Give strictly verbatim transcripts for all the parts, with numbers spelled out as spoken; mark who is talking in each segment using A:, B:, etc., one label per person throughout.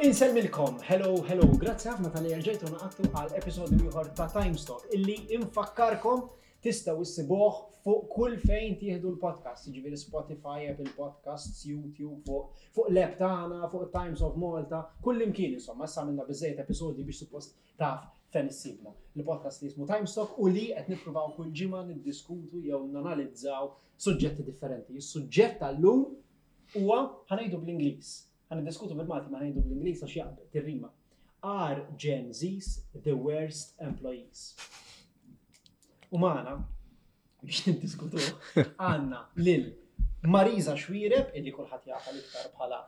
A: Insellmilkom, hello, hello, grazzi ħafna talli rġajtu ngħaqadtu għal episodju ieħor ta' Timestock, illi infakkarkom tistgħu issibuh fuq kull fejn tieħdu l-podcast, jiġifieri Spotify, Apple Podcasts, YouTube, fuq fuq l-app tagħna, fuq Times of Malta, kull imkien insomma, issa għamilna biżejjed episodji biex suppost taf fejn issibna. Il-podcast li jismu Timestock u li qed nippruvaw kull ġimgħa niddiskutu jew nanalizzaw suġġetti differenti. Is-suġġett tal-lum huwa, ħa ngħidu bl-Ingliż. Ħa niddiskutu bil-Malti, ma ħa ngħidu bl-Ingliż għax jaqbel tirrima. Are Gen Zs the worst employees? U magħna, biex niddiskutu, għandna lil Marisa Xuereb, illi kulħadd jafha l-iktar bħala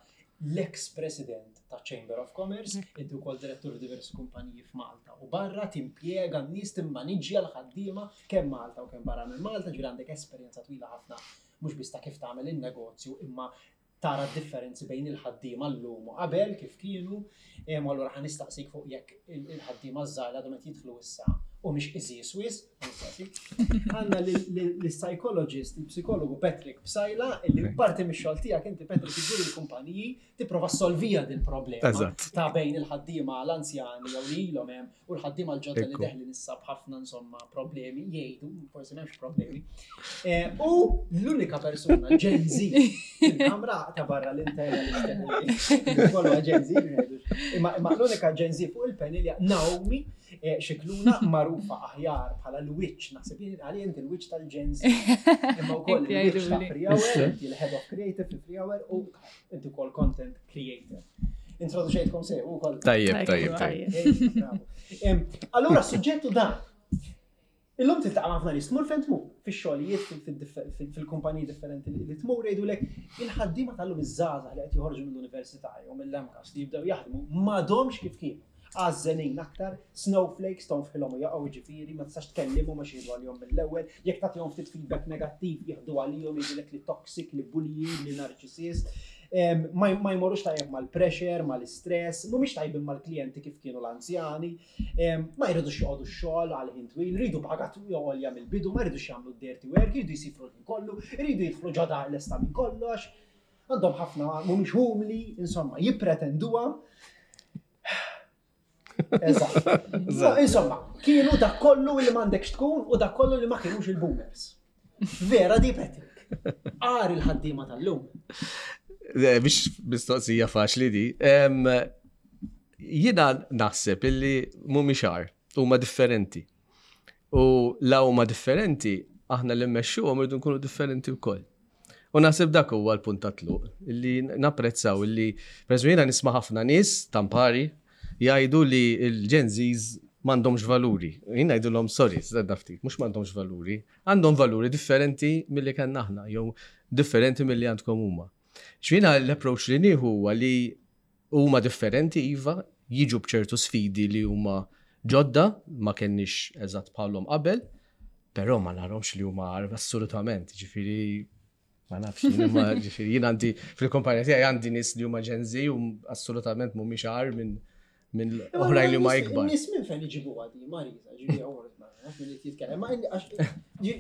A: l-ex-president ta' Chamber of Commerce, inti wkoll direttur f'diversi kumpaniji f'Malta u barra, timpjega n-nies, timmaniġġja l-ħaddiema kemm Malta u kemm barra minn Malta, ġifieri għandek esperjenza twila ħafna mhux biss ta' kif tagħmel in-negozju imma tara differenzi bejn il-ħaddiema llum u qabel kif kienu, em, allura ħa nistaqsik fuq jekk il- il-ħaddiema żgħar għadhom qed jidħlu issa u mhix iżis wis, ħa nistaqsik. Għandna l-psychologist, il-psikologu Patrick Psaila, illi parti mix-xogħol tiegħek inti, Patrick, iddur il-kumpaniji tipprova solvija din problema
B: Eżatt.
A: ta' bejn il-ħaddiema l-anzjani jew li ilhom hemm u l-ħaddiema l-ġodda li
B: Ekku.
A: deħlin issa b'ħafna insomma problemi, jgħidu, forsi m'hemmx problemi. Eh, U l-unika persuna Gen Z fil-kamra ta' barra l-internalisti kollu Gen Z, imma imma l-unika Gen Z fuq il-panel hija Naomi eh, Scicluna, magħrufa aħjar bħala l-witch, naħseb jien għalija inti l-witch tal-Gen Z. Imma wkoll
C: Inti
A: il-witch ta'
C: għiduli.
A: Free Hour, inti l-head of creative fi Free Hour u inti wkoll content creator. Introduċejtkom sew ukoll.
B: Tajjeb, tajjeb, tajjeb.
A: Ej, bravo. Em, Allura, suġġettu dan. Illum tiltaqa' ma' ħafna nies, tmur fejn tmur, fix-xogħlijiet, fil- fil-kumpaniji differenti li tmur, jgħidulek il-ħaddiema tal-lum, iż-żgħażagħ li qed joħorġu mill-università jew mill-M CAST li jibdew jaħdmu m'għadhomx kif kienu. Għażżenin aktar, snowflakes, tonfħilhom u jaqgħu, ġifieri, ma tistax tkellimhom għax jieħdu għalihom mill-ewwel, jekk tagħtihom ftit feedback negattiv jieħdu għalihom, jgħidulek li toxic, li bullying, li narcissist. Em, Ma ma jmorrux tajjeb mal-pressure, mal-istress, mhumiex tajbin mal-klijenti kif kienu l-anzjani, em, ma jridux joqogħdu x-xogħol għal ħin twil, jridu paga għolja mill-bidu, ma jridux jagħmlu dirty work, jridu jsifru l-ħin kollu, jridu jidħlu ġo dar lesta minn kollox, għandhom ħafna, mhumiex umli, insomma, jippretenduha. Eżatt. No, insomma, kienu dak kollu li m'għandekx tkun u dak kollu li ma kienux il-boomers. Vera di, Patrick? Agħar il-ħaddiema tal-lum?
B: Eh, Biex mistoqsija faċli di. Em, Jiena naħseb illi mhumiex agħar, huma differenti. U la huma differenti, aħna li mmexxuhom irridu nkunu differenti wkoll. U naħseb dak huwa l-punt ta' tluq, illi napprezzaw illi, per eżempju, jiena nisma' ħafna nies tampari jgħidu li l-Gen Zs m'għandhomx valuri. Jien ngħidulhom: "Sorry, stenna ftit, mhux m'għandhomx valuri, għandhom valuri differenti milli kellna aħna jew differenti milli għandkom huma." X'jiena l-approach li nieħu huwa li huma differenti, iva, jiġu b'ċertu sfidi li huma ġodda, ma kenniex eżatt bħalhom qabel, però ma narahomx li huma agħar assolutament, ġifieri ma nafx, jien ma ġifieri jien għandi fil-kumpanija tiegħi għandi nies li huma Gen Z u assolutament mhumiex agħar minn minn oħrajn li huma ikbar.
A: Nies minn fejn iġibu għadi, Marisa, ġifieri għor, ma nafx min qed jitkellem, ma għax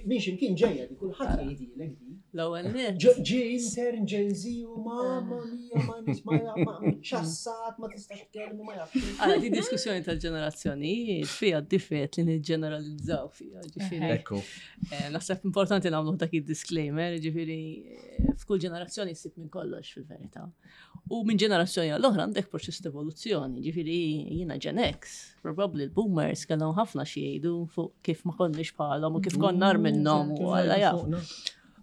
A: minn x'imkien ġejja di, kulħadd jgħidilek di.
D: L-ewwel nett.
A: Ġi intern Gen Z u mamma mia, ma nis ma ma ċassat, ma tistax tkellmu, ma jafx.
D: Għala, di diskussjoni tal-ġenerazzjonijiet fija d-difet li niġġeneralizzaw fija, ġifieri.
B: Ekku.
D: Eh, Naħseb importanti nagħmlu dak il-disclaimer, ġifieri eh, f'kull ġenerazzjoni ssib minn kollox fil-verità. U minn ġenerazzjoni għall-oħra għandek proċess ta' evoluzzjoni, ġifieri jiena Gen X, probabbli l-boomers kellhom ħafna xi jgħidu fuq kif ma konniex bħalhom u kif konna agħar minnhom u Alla jaf.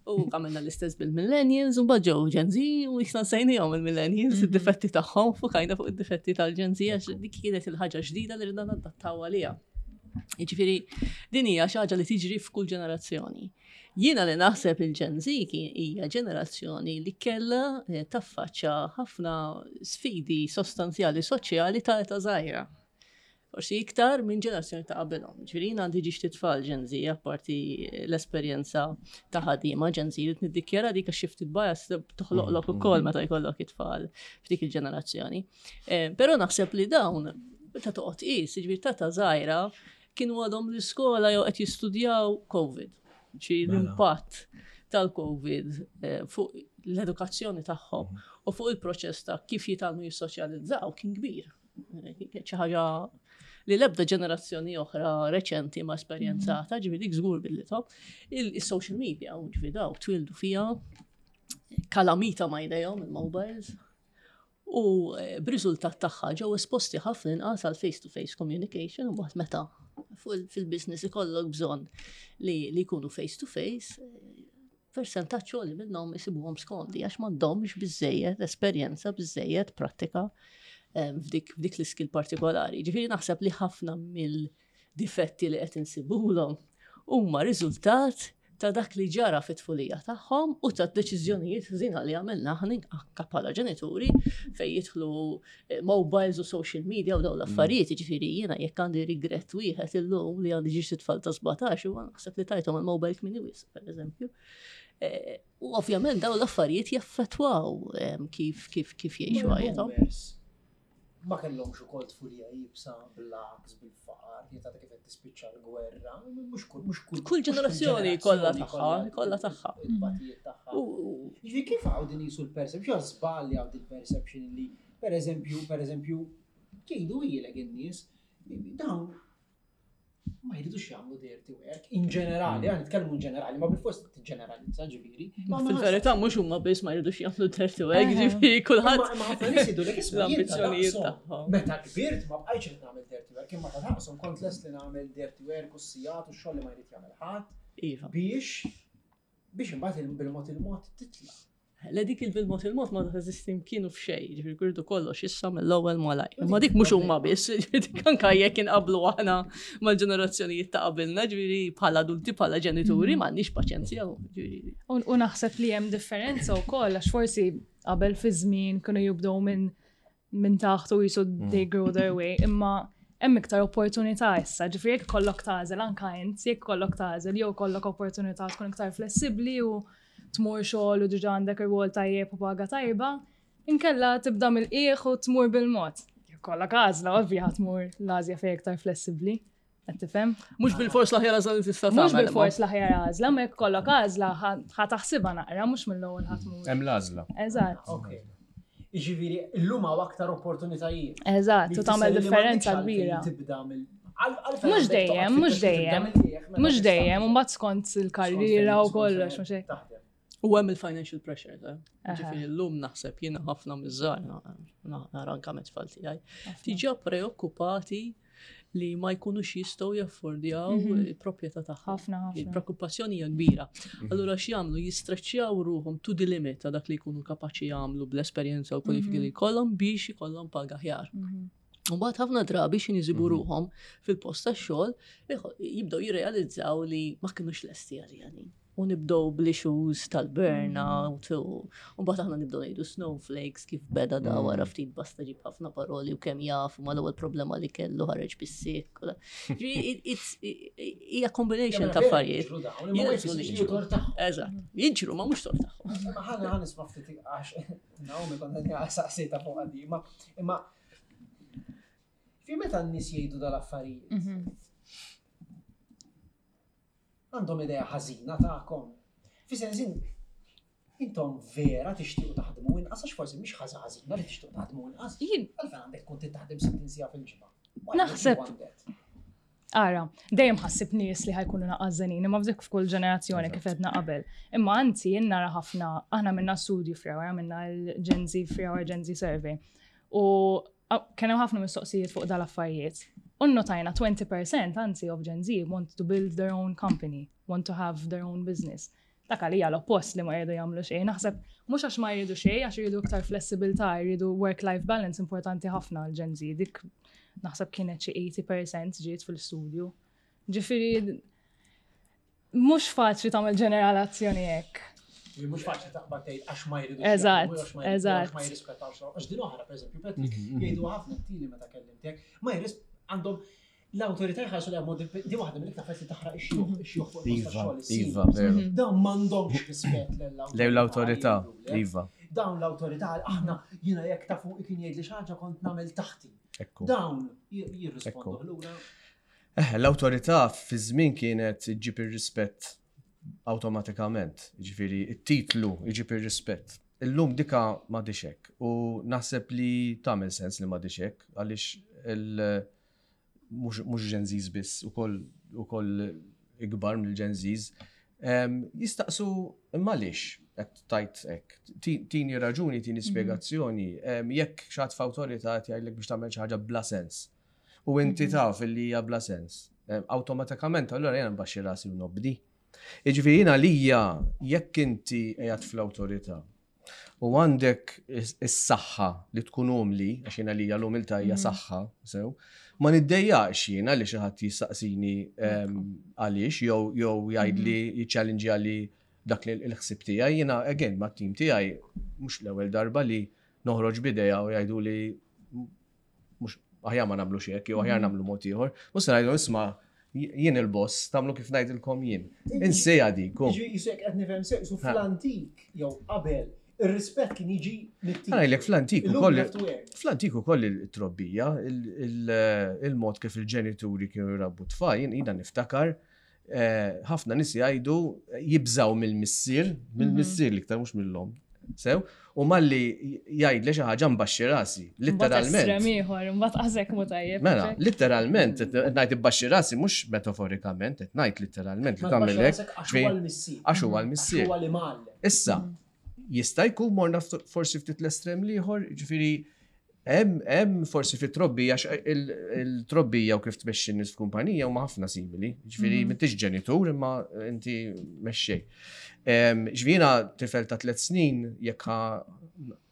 D: U għamilna l-istess bil-millennials, u ġew Gen Z u jisna sejnijom il-millennials, id-difetti tagħhom, fukajna fuq id-difetti tal-Gen Z, għax dik kienet il-ħaġa ġdida li ridna nadattaw għalija. Jiġifieri, din hija xi ħaġa li tiġri f'kull ġenerazzjoni. Jiena li naħseb il-Gen Z kien hija ġenerazzjoni li kellha eh, taffaċċa ħafna sfidi sostanzjali soċjali ta' età żgħira. Forsi iktar minn ġenerazzjoni ta' qabelhom. Ġifieri jiena għandi żewġt itfal Gen Z, apparti l-esperjenza ta' ħaddiema Gen Z, li niddikjara dik għax shifted bias toħloqlok ukoll meta jkollok it-tfal f'dik il-ġenerazzjoni. Eh, Però naħseb li dawn, meta toqgħod qis, ġifieri ta' età żgħira, kienu għadhom l-iskola jew qed jistudjaw COVID. Ġi
B: Mela.
D: l-impatt tal-COVID eh, fuq l-edukazzjoni tagħhom u fuq il-proċess ta' kif jitgħallmu jissoċjalizzaw kien kbir. Xi ħaġa li l-ebda ġenerazzjoni oħra reċenti ma esperjenzata, ġifieri dik żgur bidlithom. Il-social media, u ġifieri daw twildu fiha kalamita ma jdejhom il-mobiles u eh, b'riżultat tagħha ġew esposti ħafna inqas għal face-to-face communication u mbagħad meta fuq il- fil-business ikollok bżonn li li jkunu face-to-face, eh, percentaġġ għoli minnhom isibuhom skomdi għax m'għandhomx biżejjed esperjenza, biżejjed prattika eh, f'dik f'dik l-skill partikolari. Ġifieri naħseb li ħafna mill-difetti li qed insibulhom huma riżultat ta' dak li ġara fit-tfulija tagħhom u ta' deċiżjonijiet ħżiena li għamilna aħna anke bħala ġenituri fejn jidħlu eh, mobiles u social media u dawn l-affarijiet, ġifieri jiena jekk għandi regret wieħed illum li għandi żewġt itfal ta' sbatax u naħseb li tajthom il-mobile kmieni wisq, per eżempju. Eh, U ovvjament dawn l-affarijiet jaffettwaw em, kif kif kif jgħixu ħajjithom.
A: Boomers Ma kellhomx ukoll tfulija iebsa bil-laks, bil-faqar, jieta kif qed tispiċċa l-gwerra, mhux kull mhux kull
D: Kull
A: mhux
D: ġenerazzjoni kollha tagħha, kollha tagħha.
A: Il-batijiet tagħha.
D: U
A: Jiġifieri kif hawn din jisu l-perception, żball hawn din perception li, per eżempju, per eżempju, jgħidu ilek in-nies, dawn ma jridux jagħmlu dirty work, in ġenerali, għan nitkellmu in ġenerali, ma bil-fors tiġġeneralizza ġifieri. Ma ma
D: fil-verità mhux huma biss ma jridux jagħmlu dirty work,
C: Eħe.
D: ġifieri kulħadd
A: Imma ħafna nies jgħidu lek isma' jien ta'
D: l-ambizzjonijiet
A: daqshom.
D: tagħhom.
A: Meta kbirt ma bqajtx irid nagħmel dirty work, imma ta' daqshom kont lest li nagħmel dirty work u s-sigħat u x-xogħol li ma jrid jagħmel ħadd
D: Iva.
A: biex biex imbagħad bil-mod il-mod titla'.
D: Le dik il-bil-mod il-mod ma teżisti kienu f'xejn, ġifieri kurdu kollox issa mill-ewwel malaj. Imma dik mhux huma biss, ġifieri dik anke jekk inqablu aħna mal-ġenerazzjonijiet ta' qabilna, ġifieri bħala adulti bħala ġenituri m'għandniex paċenzja. ġifieri.
C: U u naħseb li hemm differenza wkoll għax forsi qabel fi żmien kienu jibdew minn minn taħt u jisu they grow their way, imma hemm iktar opportunità issa, ġifieri jekk kollok tagħżel anka int, jekk kollok tagħżel jew kollok opportunità tkun iktar flessibbli u tmur xogħol u diġà għandek ir-rwol tajjeb u paga tajba, inkella tibda mill-qiegħ u tmur bil-mod. Jekk kollok għażla, ovvja tmur l-għażla fejn iktar flessibbli. Qed tifhem?
D: Mhux bil-fors l-aħjar għażla li tista'
C: Mhux
D: tagħmel.
C: bil-fors l-aħjar għażla, ma jekk kollok għażla ħa taħsibha naqra, mhux mill-ewwel ħa tmur.
E: Hemm l-għażla.
C: Eżatt.
A: Ok. Jiġifieri llum hawn aktar opportunitajiet.
C: Eżatt,
A: Li
C: u tagħmel
A: tfisser li
C: differenza
A: m'għandekx
C: kbira.
A: għalfejn Tibda mill għal- għalfejn
C: Mhux
A: għandek
C: dejjem,
A: toqgħod
C: mhux
A: fittex li tibda
C: dejjem.
A: mill-qiegħ meta
C: Mhux
A: tista'
C: dejjem, u mbagħad skont il-karriera u
A: skont fejn-
C: kollox,
A: skont
C: mhux
A: fejn
C: hekk.
A: taħdem.
D: U hemm il-financial pressure, ta'
C: Aha.
D: Ġifieri llum naħseb jiena ħafna miż-żgħar, nara anke mit-tfal tiegħi, diġà preokkupati li ma jkunux jistgħu jaffordjaw il-proprjetà tagħhom.
C: Ħafna, ħafna.
D: Il-preokkupazzjoni hija kbira. Allura x'jagħmlu jistreċċjaw ruhom to the limit ta' dak li jkunu kapaċi jagħmlu bl-esperjenza u kwalifiki li jkollhom biex ikollhom paga aħjar. U mbagħad ħafna drabi xi jsibu ruhom fil-post tax-xogħol iħo- jibdew jirrealizzaw li ma kinux lesti għalija din. U nibdew bl-issues tal-burnout u u mbagħad aħna nibdew ngħidu snowflakes kif beda da wara ftit basta ġib ħafna paroli u kemm jaf u mal-ewwel problema li kellu ħareġ bis-sick. u da. Ġifieri, it- it's- hija combination ta' affarijiet.
A: Jiġru dawn, imma ma
D: Jiġru li
A: jfissirx li
D: jiġru.
A: tort tagħhom.
D: Eżatt, jiġru ma mhux tort tagħhom.
A: Imma ħana ħa nisma' ftit għax Naomi kont saqsejta fuq għadi, imma imma fi meta n-nies jgħidu dal-affarijiet. Għandhom idea ħażina tagħkom. Fi sens in- intom vera tixtiequ taħdmu inqas għax forsi mhix ħaġa ħażina li tixtiequ taħdmu inqas.
C: Jien
A: Għalfejn għandek tkun trid taħdem sittin siegħa fil-ġimgħa. Why would you
C: Naħseb-
A: want that?
C: Ara, dejjem ħassib nies li ħa jkunu naqażenin, imma f'dik f'kull ġenerazzjoni kif għedna qabel. Imma anzi jien nara ħafna, aħna minna studju Free minna l-Gen Z Free Hour Gen Z Survey. U kien hemm ħafna mistoqsijiet fuq dal-affarijiet. U notajna twenty percent anzi of Gen Z want to build their own company, want to have their own business. Dak għalija l-oppost li ma jridu jagħmlu xejn. Naħseb mhux għax ma jridu xejn, għax jridu iktar flessibilità, jridu work-life balance importanti ħafna għal Gen Z. Dik naħseb kienet xi eighty percent ġiet fil-studju. Ġifieri mhux faċli tagħmel ġeneralazzjoni hekk.
A: Mhux faċli taqbad tgħid għax ma jridux
C: Eżatt,
A: jaħdmu, għax ma jridu-
C: eżatt.
A: għax ma jirrispettawx. Għax din oħra, pereżempju, Patrick, jgħidu ħafna t-tili meta kellimtek, ma jirris għandhom l-awtorità jħarsu li għamod di waħda mill-iktar affarijiet li taħraq ix-xjuħ, ix-xjuħ fuq il-post
B: Iva,
A: tax-xogħol, is-seniors.
B: iva, veru.
A: Dawn m'għandhomx rispett lill-awtorità.
B: Lew l-awtorità,
A: jgħidulek.
B: iva.
A: Dawn l-awtorità, aħna jiena jekk ta' fuq kien jgħid li xi ħaġa kont nagħmel taħti.
B: Ekku.
A: Dawn jirrispondu
B: Ekku.
A: lura.
B: Eh, l-awtorità fi żmien kienet iġġib ir-rispett awtomatikament. Ġifieri, it-titlu iġib ir-rispett. Illum dika m'għadhiex hekk u naħseb li tagħmel sens li m'għadhiex hekk għaliex il- mhux mhux Gen Zs biss ukoll ukoll ikbar mill-Gen Zs em, jistaqsu imma għaliex qed tajt hekk. Ti- Tini raġuni, tini spjegazzjoni, em, jekk xi ħadd f'awtorità qed jgħidlek biex tagħmel xi ħaġa bla sens. U inti taf li hija bla sens. Em, Awtomatikament allura jiena nbaxxi rasi u nobdi. Jiġifieri jiena lija jekk inti qiegħed fl-awtorità u għandek is- is-saħħa li tkun umli, għax jiena lija l-umiltà hija saħħa, sew, ma niddejjaqx jiena li xi ħadd jistaqsini em, għaliex jew jew jgħidli jiċċallenġja li dak li l-ħsib tiegħi, jiena again mat-tim tiegħi mhux l-ewwel darba li noħroġ b'idea u jgħidu li mhux aħjar ma nagħmlu hekk jew aħjar nagħmlu mod ieħor. Mhux se ngħidu isma' jien il-boss, tagħmlu kif ngħidilkom jien. Insejja dik. u.
A: Jiġi jisek qed nifhem sew, su fl-antik jew qabel ir-rispett kien jiġi mit-teacher.
B: Ħa ngħidlek fl-antik
A: Illum
B: ukoll
A: you have to earn.
B: fl-antik ukoll il-trobbija, il- il- il-mod kif il-ġenituri kienu jrabbu tfal, jien jiena niftakar eh, ħafna nies jgħidu jibżaw mill-missier, mill-missier l-iktar mhux mill-omm. Sew, u malli jgħid li xi ħaġa mbaxxi rasi,
C: Estrem
B: litteralment.
C: ieħor, mbagħad qasek mu tajjeb.
B: Mela, litteralment, qed ngħid ibbaxxi rasi mhux metaforikament, qed ngħid litteralment li
A: Ma
B: tagħmel
A: tbaxxi
B: hekk.
A: rasek għax huwa l-missier.
B: Għax huwa l-missier.
A: Għax huwa li mgħallem.
B: Issa, jista' jkun morna ft- forsi ftit l-estrem l-ieħor, ġifieri hemm hemm forsi fit-trobbija għax il- il-trobbija u kif tmexxi n-nies f'kumpanija huma ħafna simili. Ġifieri m'intix ġenitur imma inti mexxej. Em, Ġifieri jiena tifel ta' tliet snin jekk ħa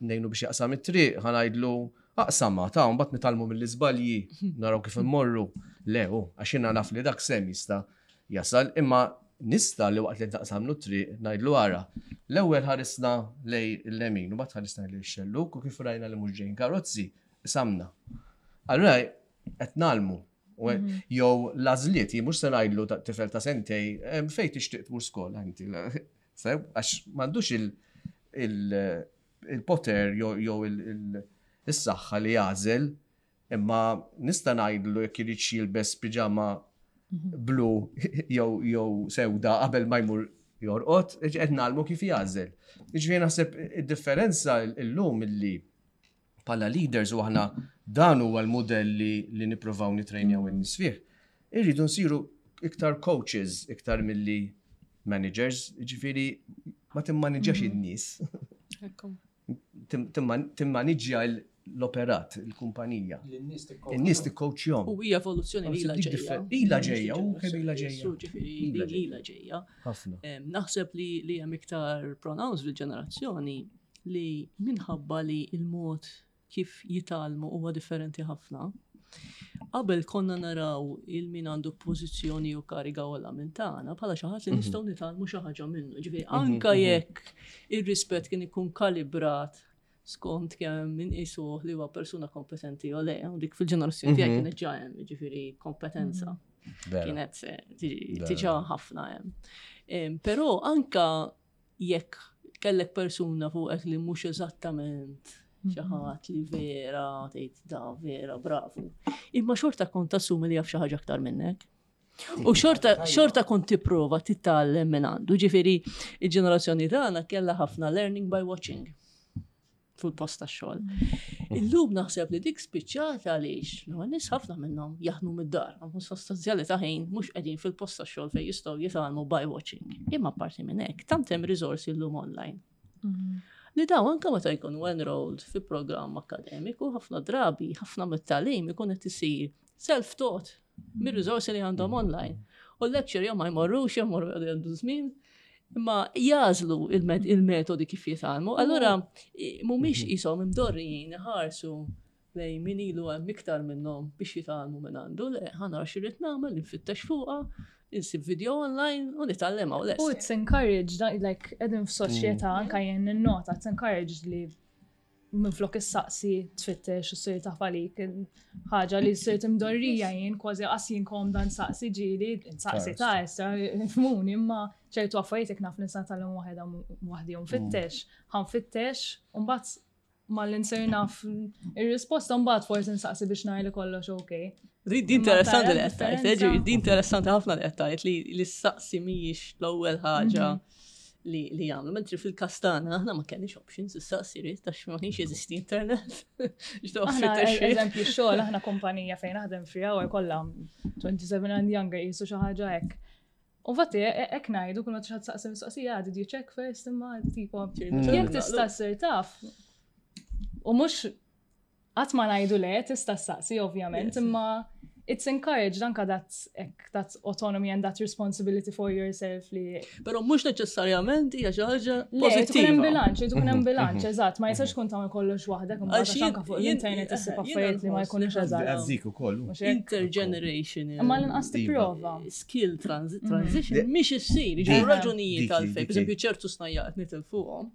B: ngħinu biex jaqsam it-triq, ħa ngħidlu aqsama ta' mbagħad nitgħallmu mill-iżbalji, naraw kif immorru. Le, hu, għax jiena naf li dak sem jista' jasal, imma nista' li waqt li taqsamlu triq ngħidlu ara. L-ewwel ħarisna lejn il-lemin u mbagħad ħarisna lejn ix-xelluk u kif rajna li mhux ġejjin karozzi, qsamna. Allura qed ngħallmu. U Jew l-għażliet, jien mhux se ngħidlu ta' tifel ta' sentejn, em, fejn tixtieq tmur skola inti. Sew, għax m'għandux il- il- il-poter jew jew il- il- is-saħħa li jagħżel, imma nista' ngħidlu jekk irid jilbes piġama blu jew jew sewda qabel ma jmur jorqod, qed ngħallmu kif jagħżel. Jiġifieri naħseb id-differenza illum illi bħala leaders u aħna dan huwa l-modell li, li nippruvaw nitrejnjaw in-nies fih. Irridu nsiru iktar coaches iktar milli managers, jiġifieri ma timmaniġġax in-nies, Tim- timman- timmaniġġja l-operat, il-kumpanija.
A: L-nies tikkoċ.
B: In-nies tikkoċjhom.
D: U hija evoluzzjoni li ilha
B: Dik
D: ġejja.
B: differ- ilha ġejja, u kemm ilha ġejja.
D: Su, ġifieri,
B: Ilha
D: din ilha ġejja.
B: Ħafna.
D: Em, Naħseb li li hemm iktar pronounced fil-ġenerazzjoni li minħabba li il-mod kif jitgħallmu huwa differenti ħafna. Qabel konna naraw il min għandu pożizzjoni u kariga ogħla minn tagħna bħala xi ħadd li nistgħu nitgħallmu xi ħaġa minnu. Ġifieri anka jekk ir-rispett kien ikun kalibrat skont kemm min isuh li huwa persuna kompetenti u le, u dik fil-ġenerazzjoni tiegħi kienet ġa hemm, ġifieri kompetenza
B: Vera.
D: kienet eh, tiġi-
B: Vera.
D: tiġa ħafna hemm. Em, Però anka jekk kellek persuna fuqek li mhux eżattament xi ħadd li vera tgħid da vera bravu. Imma xorta kont tassumi li jaf xi ħaġa aktar minnek. U xorta, xorta kont tipprova titgħallem minn għandu. Ġifieri, il-ġenerazzjoni tagħna kellha ħafna learning by watching fil-post tax-xogħol. Illum naħseb li dik spiċċat għaliex, no, nies ħafna minnhom jaħdmu mid-dar, għandhom sostanzjali ta' ħin mhux qegħdin fil-post tax-xogħol fejn jistgħu jitgħallmu by watching. Imma parti minn hekk, tant hemm riżorsi llum online. Li daw anka meta jkunu enrolled fi programm akademiku, ħafna drabi, ħafna mit-tagħlim ikun qed isir self-taught mir-riżorsi li għandhom online. U l-lecture jew ma jmorrux, jew jmorru għandu żmien, imma jagħżlu il-met- il-metodi kif jitgħallmu. Allura i- mhumiex qishom imdorrijin iħarsu lejn min ilu hemm iktar minnhom biex jitgħallmu minn għandu, le ħa nara x'irrid nagħmel, nfittex fuqha, insib video online u nitgħallem u
C: U
D: lest.
C: it's encouraged, like, qegħdin f'soċjetà anka jien ninnota, it's encouraged li minflok issaqsi tfittex u ssir taf għalik. Ħaġa li sirt imdorrija jien kważi qas jien komda nsaqsi ġieli, nsaqsi ta' issa, fhimtni, imma ċertu affarijiet jekk naf nista' nitgħallem waħedha waħdi u nfittex, ħa nfittex, u mbagħad malli nsir naf ir-risposta mbagħad forsi nsaqsi biex ngħid li kollox okay.
D: Di di interessanti li
C: Imma
D: qed tgħid,
C: tara
D: eh, ġi- di interessanti ħafna li qed tgħid li li ssaqsi mhijiex l-ewwel ħaġa li li jagħmlu. Mentri fil-każ tagħna aħna ma kellniex options issa sirit għax ma kienx jeżisti internet. X'toqgħod
C: Aħna,
D: tfittex fih.
C: eżempju, xogħol, aħna kumpanija fejn naħdem free hour kollha twenty-seven and younger, jisu xi ħaġa hekk. U fatti, hekk ngħidu kull ma tixħat saqsi mistoqsija, "Did you check first?" Imma tipo, jekk tista' ssir taf. U mhux qatt ma ngħidu le, tista' ssaqsi ovvjament,
D: Yes.
C: imma it's encouraged anka that hekk, that autonomy and that responsibility for yourself li
D: Però mhux neċessarjament hija xi ħaġa
C: Le, tkun hemm
D: pożittiva.
C: bilanċ, tkun hemm bilanċ, eżatt, ma jistax tkun tagħmel kollox waħdek, imbagħad
D: Għax
C: għax anka fuq
D: jien-
C: l-internet issib
D: jien
C: affarijiet li ma
D: nħoss
C: jkunux
D: li
C: eżatt.
E: Għazzik ukoll.
C: Mhux hekk?
D: Intergenerational
C: Imma l-inqas tipprova.
D: skill transi- transition mhix issir, jiġu
E: Dik-
D: raġunijiet
E: dik-
D: għalfejn,
E: dik-
D: per eżempju ċertu snajja' qed nitilfuhom,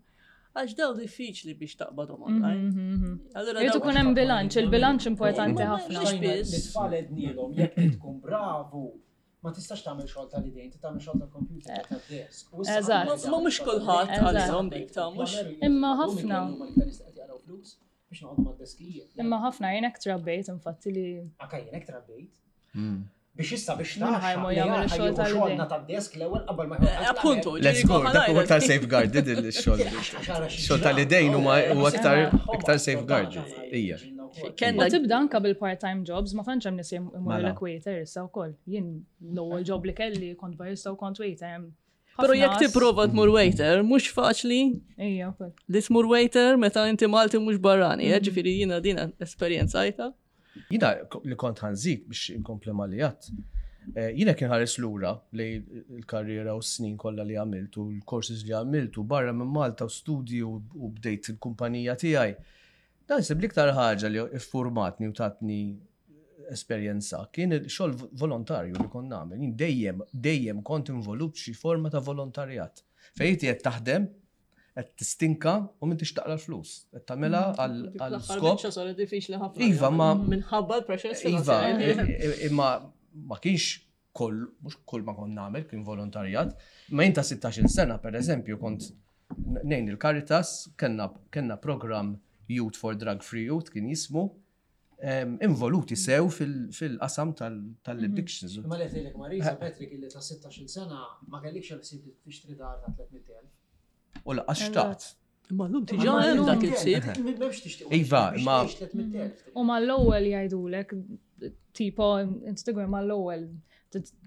D: għax daw diffiċli biex taqbadhom online. Allura
C: Irid
D: daw-
C: ikun hemm bilanċ, il-bilanċ importanti
D: Ma-
C: ħafna.
D: mhux biss.
A: L-tfal għednielhom jekk trid tkun bravu, ma tistax tagħmel xogħol tal-idejn, trid tagħmel xogħol tal-computer, tad-desk. U issa
C: Eżatt.
A: ħafna
D: Ma mhux kulħadd
C: Eżatt.
D: għalihom dik ta' mhux.
C: Imma ħafna.
A: Flus biex noqogħdu mad-deskijiet.
C: Imma ħafna jien hekk trabbejt infatti li
A: Anka jien hekk trabbejt. Biex issa biex
C: Min ħa jmur jagħmel ix-xogħol tal-idejn.
A: xogħolna tad-desk l-ewwel qabel ma
D: Eh, Appunto,
B: Let's go, dak huwa aktar safeguarded il-xogħol. Xogħol tal-idejn huma huwa aktar aktar safeguarded. Ija.
D: Kenna
C: U tibda anka bil-part-time jobs, ma tantx hemm nies imorru
B: Mela.
C: l waiter issa wkoll. Jien l-ewwel job li kelli kont barista u kont waiter. Hemm
D: Però
C: ħafna
D: jekk
C: as-
D: tipprova tmur waiter, mhux faċli
C: Ija wkoll.
D: li tmur waiter meta inti Malti mhux barrani, eh, ġifieri jiena din esperjenzajta.
B: Jina li kont ħa nżid biex inkompli ma li għedt. Eh, Jina kien ħares lura li l-karriera u s-snin kollha li għamilt u l-courses li għamilt u barra minn Malta u studi u u bdejt il-kumpanija tiegħi. Dan sib l-iktar ħaġa li iffurmatni u tatni esperjenza kien il-xogħol volontarju li kont nagħmel. Jien dejjem dejjem kont involut xi forma ta' volontarjat. Fejn inti qed taħdem, qed tistinka u m'intix taqla' l-flus. Qed tagħmilha għal għal skop
D: Biċċa saret diffiċli ħafna.
B: Iva, ma-
D: Minħabba l-pressures
B: Iva,
D: finanzjarji.
B: i- i- imma ma kienx kull, mhux kull ma kont nagħmel, kien volontarjat. Ma jien ta' sittax-il sena, per eżempju, kont nejn il-Caritas, kellna, kellna program Youth for Drug Free Youth kien jismu, em, involuti sew fil- fil-qasam tal- tal-addictions.
A: Imma li tgħidlek Marisa, Patrick, illi ta' sittax-il sena ma kellikx il-ħsieb li tixtri dar ta' tliet mitt elf.
B: U lanqas xtaqt.
D: Imma llum diġà hemm dak il-ħsieb.
A: M'hemmx tixtieq.
B: Iva, ma-
C: U mal-ewwel jgħidulek, tipo, inti tigwer mal-ewwel,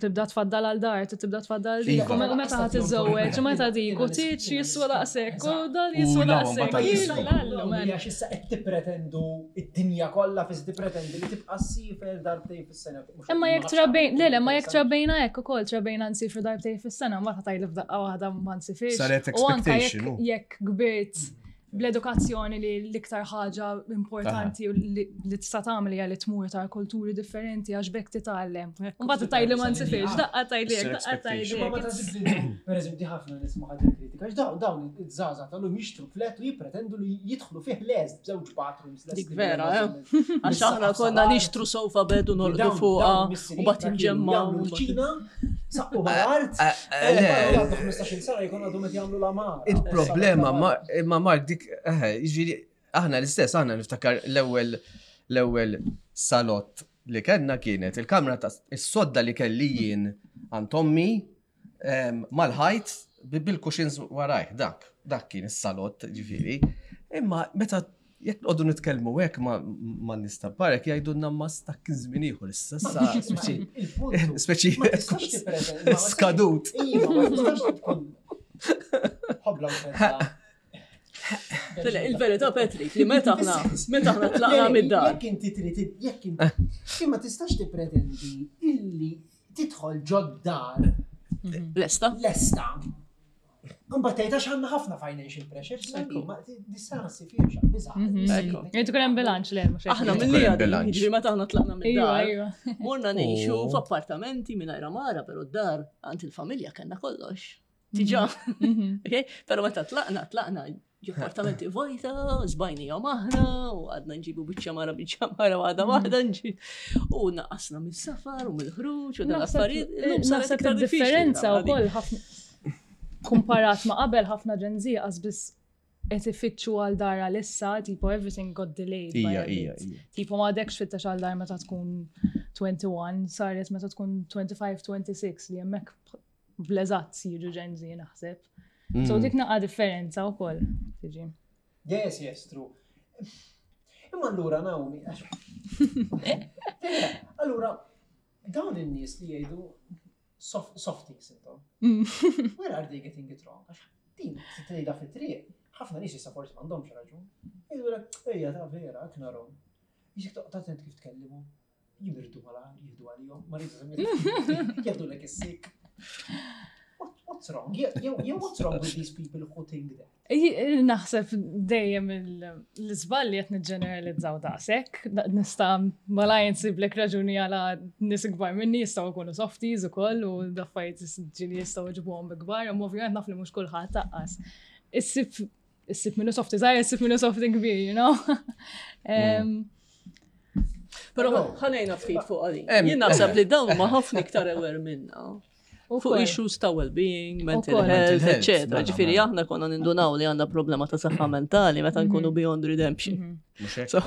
C: tibda tfaddal għal dar, tibda tfaddal dik,
B: Iva.
C: u meta ħa tiżżewweġ, u meta dik, u tieġ jiswa daqshekk, u dan jiswa
B: U la,
C: daqshekk.
B: mbagħad jiswa.
C: Lallu, man.
A: Għax issa qed tippretendu id-dinja kollha fis tippretendi li tibqa' ssiefer darbtejn fis-sena.
C: Imma jekk trabbejn, le, le, ma jekk trabbejna hekk ukoll trabbejna nsifru darbtejn fis-sena, mbagħad tgħidli f'daqqa waħda ma nsifirx.
B: Saret
C: U anka
B: expectation,
C: jekk
B: u.
C: jekk kbirt bl-edukazzjoni li l-iktar ħaġa importanti u li li tista' tagħmel hija li tmur ta' kulturi differenti għax b'hekk titgħallem. Mbagħad tgħidli ma nsifirx, daqqa tgħidli hekk, daqqa tgħidli
A: Ma ma
C: hekk.
A: taħsibx li, per eżempju, di ħafna nisma' ħadd kritika, għax dawn dawn iż-żgħażagħ tal-lum jixtru flat u jippretendu li jidħlu fih lest b'żewġ bathrooms lest.
D: Dik vera, eh? Għax aħna konna nixtru sofa bed u norqdu fuqha u mbagħad inġemmaw.
A: Jagħmlu l-ċina, saqqu mal-art.
B: Eh, le.
A: Għandu ħmistax-il sena jkun għadhom qed jagħmlu l-għamara.
B: Il-problema ma imma Mark dik eh, jiġifieri aħna l-istess, aħna niftakar l-ewwel l-ewwel salott li kellna kienet il-kamra ta' is-sodda li kelli jien għand ommi em, mal-ħajt bi- bil-cushions warajh, dak, dak kien is-salott ġifieri. Imma meta jekk noqogħdu nitkellmu hekk ma ma nista parek jgħidulna ma dak kien żmien ieħor issa issa speċi speċi
A: Ma tistax tippretendi- ma tistax-
B: skadut.
A: Iva, ma tistax tkun ħobla u fetta.
D: Le, il-verità, Patrick, li meta aħna meta aħna tlaqna mid-dar.
A: Jekk inti trid jekk inti ma tistax tippretendi illi tidħol ġod-dar
D: Lesta?
A: lesta. Mbagħad tgħid għax għandna ħafna financial pressure, sorry, ma dis-sena ssifirx biża'.
D: Ekku.
C: Jrid ikun hemm bilanċ le mhux hekk.
D: Aħna
B: Jrid
D: mill-li
B: ikun hemm
D: għadin,
B: bilanċ.
D: jiġifieri meta aħna tlaqna
C: Iva,
D: mid-dar.
C: iva.
D: Morna ngħixu
B: Oh.
D: f'appartamenti mingħajr għamara, però d-dar għand il-familja kellna kollox. Diġà. Okay? Però meta tlaqna, tlaqna ġo appartamenti vojta, żbajnihom aħna, u għadna nġibu biċċa mara biċċa mara waħda waħda nġi. U naqasna mis-safar u mill-ħruġ u dan
C: Naħseb
D: l-affarijiet. Illum saret
C: naħseb
D: iktar diffiċli
C: il-differenza
D: tagħmel
C: wkoll ħafna kumparat ma' qabel ħafna Gen Z qas biss qed ifittxu għal dar għalissa, tipo everything got delayed by
B: Ija,
C: a
B: ija,
C: bit.
B: ija.
C: Tipo ma għadekx fittex għal dar meta tkun wieħed u għoxrin, saret meta tkun tlieta u għoxrin, sitta u għoxrin li hemmhekk bl-eżatt jiġu Gen Z naħseb. So dik naqa differenza wkoll tiġi.
A: Yes, yes, true. Imma allura Naomi, għax. Allura, dawn in-nies li jgħidu soft- softies intom. Where are they getting it wrong? Għax din tgħidha fit-triq, ħafna nies issa forsi m'għandhomx raġun. Jgħidu ejja ta' vera, hekk narahom. Jiġik toqgħod attent kif tkellimu. Jimirdu malajr, jieħdu għalihom, ma rridx jgħidu is-sik. What- What's wrong? Jew jew what's wrong with these people who think that?
C: Ej, Naħseb dejjem il- l-iżball li qed niġġeneralizzaw daqshekk, Da- nista' malajr nsiblek raġuni għala nies ikbar minni jistgħu jkunu softies ukoll u daffajt ġili jistgħu jġibuhom bi kbar, imma ovvjament naf li mhux kulħadd taqqas. Issib issib minnu softy żgħir, issib minnu softy kbir, you know? Em,
D: Però ħanejna ftit fuq għadi.
B: Em,
D: Jien naħseb li dawn huma ħafna iktar aware minna. Fuq
C: ukoll.
D: issues ta' well-being, mental
C: Ukoll.
D: health,
B: Mental health,
D: etc.
B: mela,
D: Ġifieri
B: mela.
D: aħna konna nindunaw li għandna problema ta' saħħa mentali meta nkunu beyond redemption.
B: Mhux hekk?
D: So,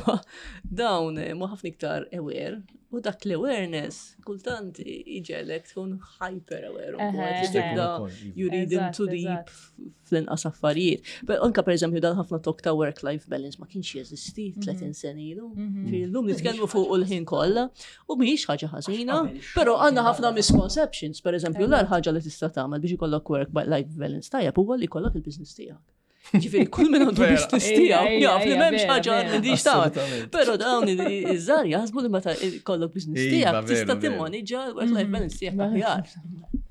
D: dawn eh, ma ħafna iktar aware u dak l-awareness kultant iġegħlek tkun hyper aware. u
C: Eħe,
D: li
C: eħe.
D: tibda
B: Ukoll, iva.
D: you read
C: Eżatt,
D: into deep
C: eżatt.
D: fl-inqas affarijiet. But anka per eżempju dan ħafna talk ta' work-life balance ma kienx jeżisti tletin sena ilu. Ġifieri llum nitkellmu fuq il-ħin kollha u mhijiex ħaġa ħażina,
A: Għax qabel
D: però
A: xogħol
D: għandna
A: kien
D: ħafna
A: għadha.
D: misconceptions. Per eżempju, l ħaġa li tista' tagħmel biex ikollok work-life balance tajjeb huwa li jkollok il-business tiegħek. Ġifieri kull min għandu
B: Vera.
D: business
C: Ejja,
D: tiegħu
C: ejja,
D: jaf li
C: ejja,
D: m'hemmx
C: vera,
D: ħaġa
C: vera.
D: li dix tagħmel.
B: Assolutament.
D: Però dawn iż-żgħar jaħsbu li meta jkollok business
B: Iva,
D: tiegħek
B: veru,
D: tista'
B: veru.
D: timmaniġġa l-work-life balance tiegħek aħjar.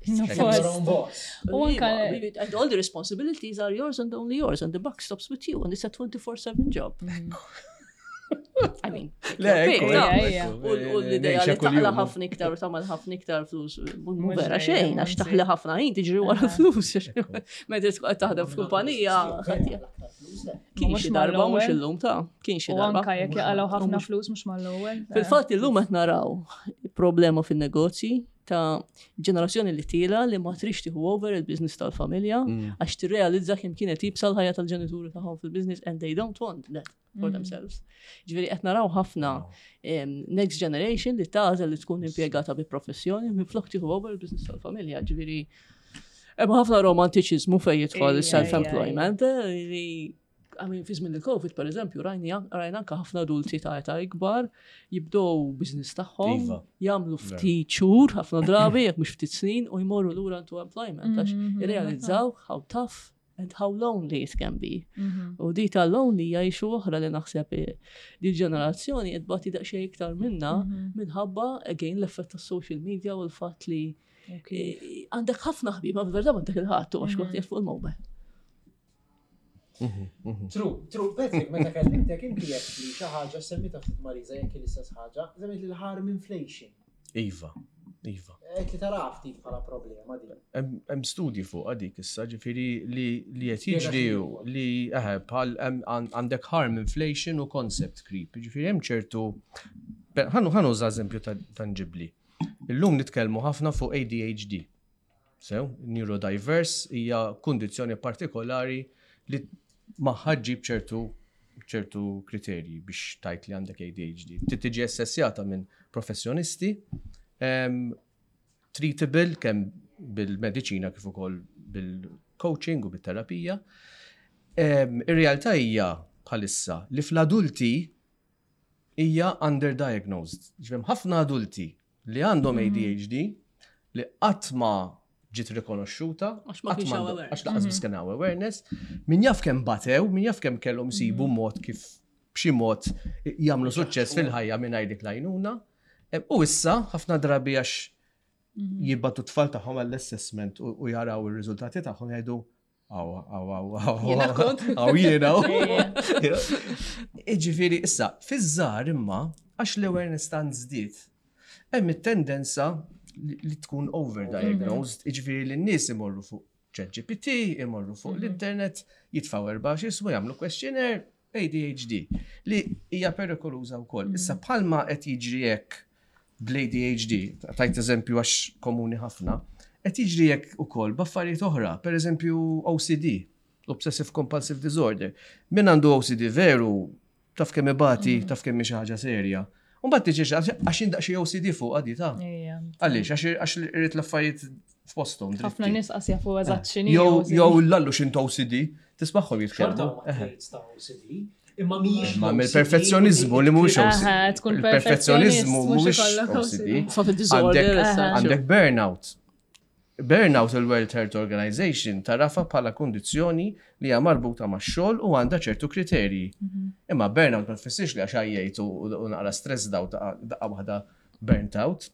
C: No,
A: Your
C: forse.
A: own boss.
C: U anka-
D: Iva, And all the responsibilities are yours and only yours and the buck stops with you and it's a twenty-four seven job. I mean,
B: Le,
D: your pick,
B: ekku,
D: ta'
C: Ejja, ejja.
B: ekku,
D: U u l-ideja
B: ngħixha
D: li taqla
B: kuljum.
D: ħafna iktar u tagħmel ħafna iktar flus, mhu
C: Mhux
D: vera
C: vera,
D: xejn, għax
C: anzi.
D: taħli ħafna ħin tiġri wara flus. Meta tkun qed taħdem f'kumpanija, kien
C: Mhux
D: xi darba mhux
C: mal-ewwel.
D: illum ta' kien xi
C: U
D: darba.
C: anka jekk jaqalgħu ħafna
D: mhux-
C: flus mhux mal-ewwel.
D: Fil-fatt illum qed naraw problema fin-negozji ta' ġenerazzjoni li tila li ma trix tieħu over il-business tal-familja għax tirrealizza kemm kienet iebsa l-ħajja tal-ġenituri tagħhom fil-business and they don't want that for themselves. Ġifieri qed naraw ħafna em, next generation li tagħżel li tkun impjegata bi professjoni minflok tieħu over il-business tal-familja. Ġifieri hemm ħafna romantiċiżmu fejn jidħol
C: Ejja,
D: il-self-employment eh, li I mean, fi żmien il-Covid, per eżempju, rajni rajna anka ħafna adulti ta' età ikbar jibdew business tagħhom,
B: Iva.
D: jagħmlu ftit xhur ħafna drabi, jekk mhux ftit snin, u jmorru lura into employment għax irrealizzaw how tough and how lonely it can be. U di ta' lonely hija issue oħra li naħseb eh, di ġenerazzjoni qed tbati daqsxejn iktar minna minħabba again l-effett tas-social media u l-fatt li eh, għandek ħafna ħbieb, ma fil-verità m'għandek il-ħadd u għax kulħadd qiegħed fuq il-mobile.
A: True, true. Patrick, meta kellimtek inti jekk li xi ħaġa semmita ftit Marisa jekk l-istess ħaġa, semmit li l-harm inflation.
B: Iva, iva.
A: Qed li tara ftit bħala problema din.
B: Hemm hemm studji fuq dik issa, ġifieri li li qed
A: Spjega
B: jiġri
A: x'inhu
B: hu
A: huwa.
B: li eħe bħal hemm għan- għandek harm inflation u concept creep. Ġifieri hemm ċertu ħa nu ħa nuża eżempju ta- tangibli. Illum nitkellmu ħafna fuq A D H D. Sew, neurodiverse hija kundizzjoni partikolari li magħha ġġib ċertu ċertu kriterji biex tgħid li għandek A D H D. Trid tiġi assessjata minn professjonisti, em, treatable kemm bil-mediċina kif ukoll bil-coaching u bil-terapija. Em, Ir-realtà hija bħalissa li fl-adulti hija underdiagnosed. Ġifieri ħafna adulti li għandhom A D H D li qatt ma ġiet rikonoxxuta,
D: Għax ma
B: qatt
D: kienx hawn
B: għandu-
D: awareness.
B: għax lanqas biss kien hawn awareness, min jaf kemm batew, min jaf kemm kellhom isibu mod kif b'xi mod jagħmlu suċċess fil-ħajja mingħajr dik l-għajnuna. Em, U issa ħafna drabi għax jibagħtu t-tfal tagħhom għall-assessment u u jaraw ir-riżultati tagħhom jgħidu aw, aw, aw, aw,
D: Jiena kont.
B: aw, jiena. Iġifieri, issa, fiż-żgħar imma, għax l-awareness tant żdied, hemm it-tendenza li li tkun overdiagnosed, iġifieri li n-nies imorru fuq ChatGPT, imorru fuq l-internet, jitfaw erba' x'ismu, jagħmlu questionnaire, A D H D, li hija perikoluża wkoll. Issa bħalma qed jiġri hekk bl-A D H D, tajt eżempju għax komuni ħafna, qed jiġri hekk ukoll b'affarijiet oħra, per eżempju O C D, Obsessive Compulsive Disorder. Min għandu O C D veru, taf kemm ibati, taf kemm hi xi ħaġa serja. U mbagħad tiġi għax indaqxi O C D fuq għadi ta'
C: Ejja.
B: Għaliex, għax għax irrid l-affarijiet f'posthom.
C: Ħafna
B: dritti.
C: nies qas jafu eżatt x'inhi
B: Jew
C: O C D.
B: Jew l-allu x'int O C D, tismagħhom
A: Xorta
B: jitkellmu.
A: huma traits ta' O C D, imma mhijiex
B: Ma
A: l-O C D
B: mill-perfezzjonizmu li mhuwiex
C: Aha,
B: O C D.
C: tkun
B: Il-perfezzjonizmu
C: perfezzjonist, mhux
B: mhuwiex
C: ikollok
B: O C D.
D: It's not a disorder.
B: Għandek-
D: as such.
B: Għandek burnout. Burnout, il-World Health Organization tagħrafha bħala kondizjoni li hija marbuta ma' xogħol u għandha ċertu kriterji. Imma burnout ma tfissirx li għax għajjejt u u naqra stress daw daqqa waħda burnt out.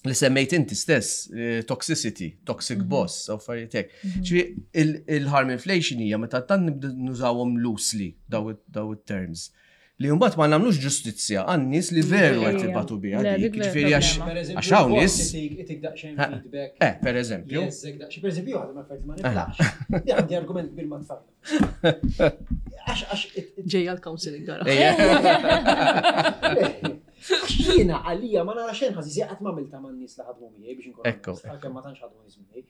B: Li semmejt inti stess, eh, toxicity, toxic boss, u affarijiet hekk. Ġifieri il-harm inflation hija meta tant nibdu nużawhom loosely daw daw it-terms. Li mbagħad ma nagħmlux ġustizzja għan-nies li veru qed
C: Ejja.
B: ibatu biha
C: Le,
B: dik.
C: dik vera
B: Ġifieri għax
C: problema.
A: Per eżempju,
B: għax hawn nies
A: itik daqsxejn
B: Ha.
A: feedback.
B: Eh, per eżempju.
A: Jeżek daqsxejn. Per eżempju, għadha ma affarijiet ma niflax. Li għandi argument kbir ma' tfal. Għax għax it- it-
D: Ġejja l-counseling gara.
B: Ejja.
A: Għax jiena għalija ma nara xejn ħażin qatt ma għamilta man nies li ħadmu miegħi biex inkun
B: Ekku,
A: onest, għalkemm ma tantx ħadmu nies miegħi.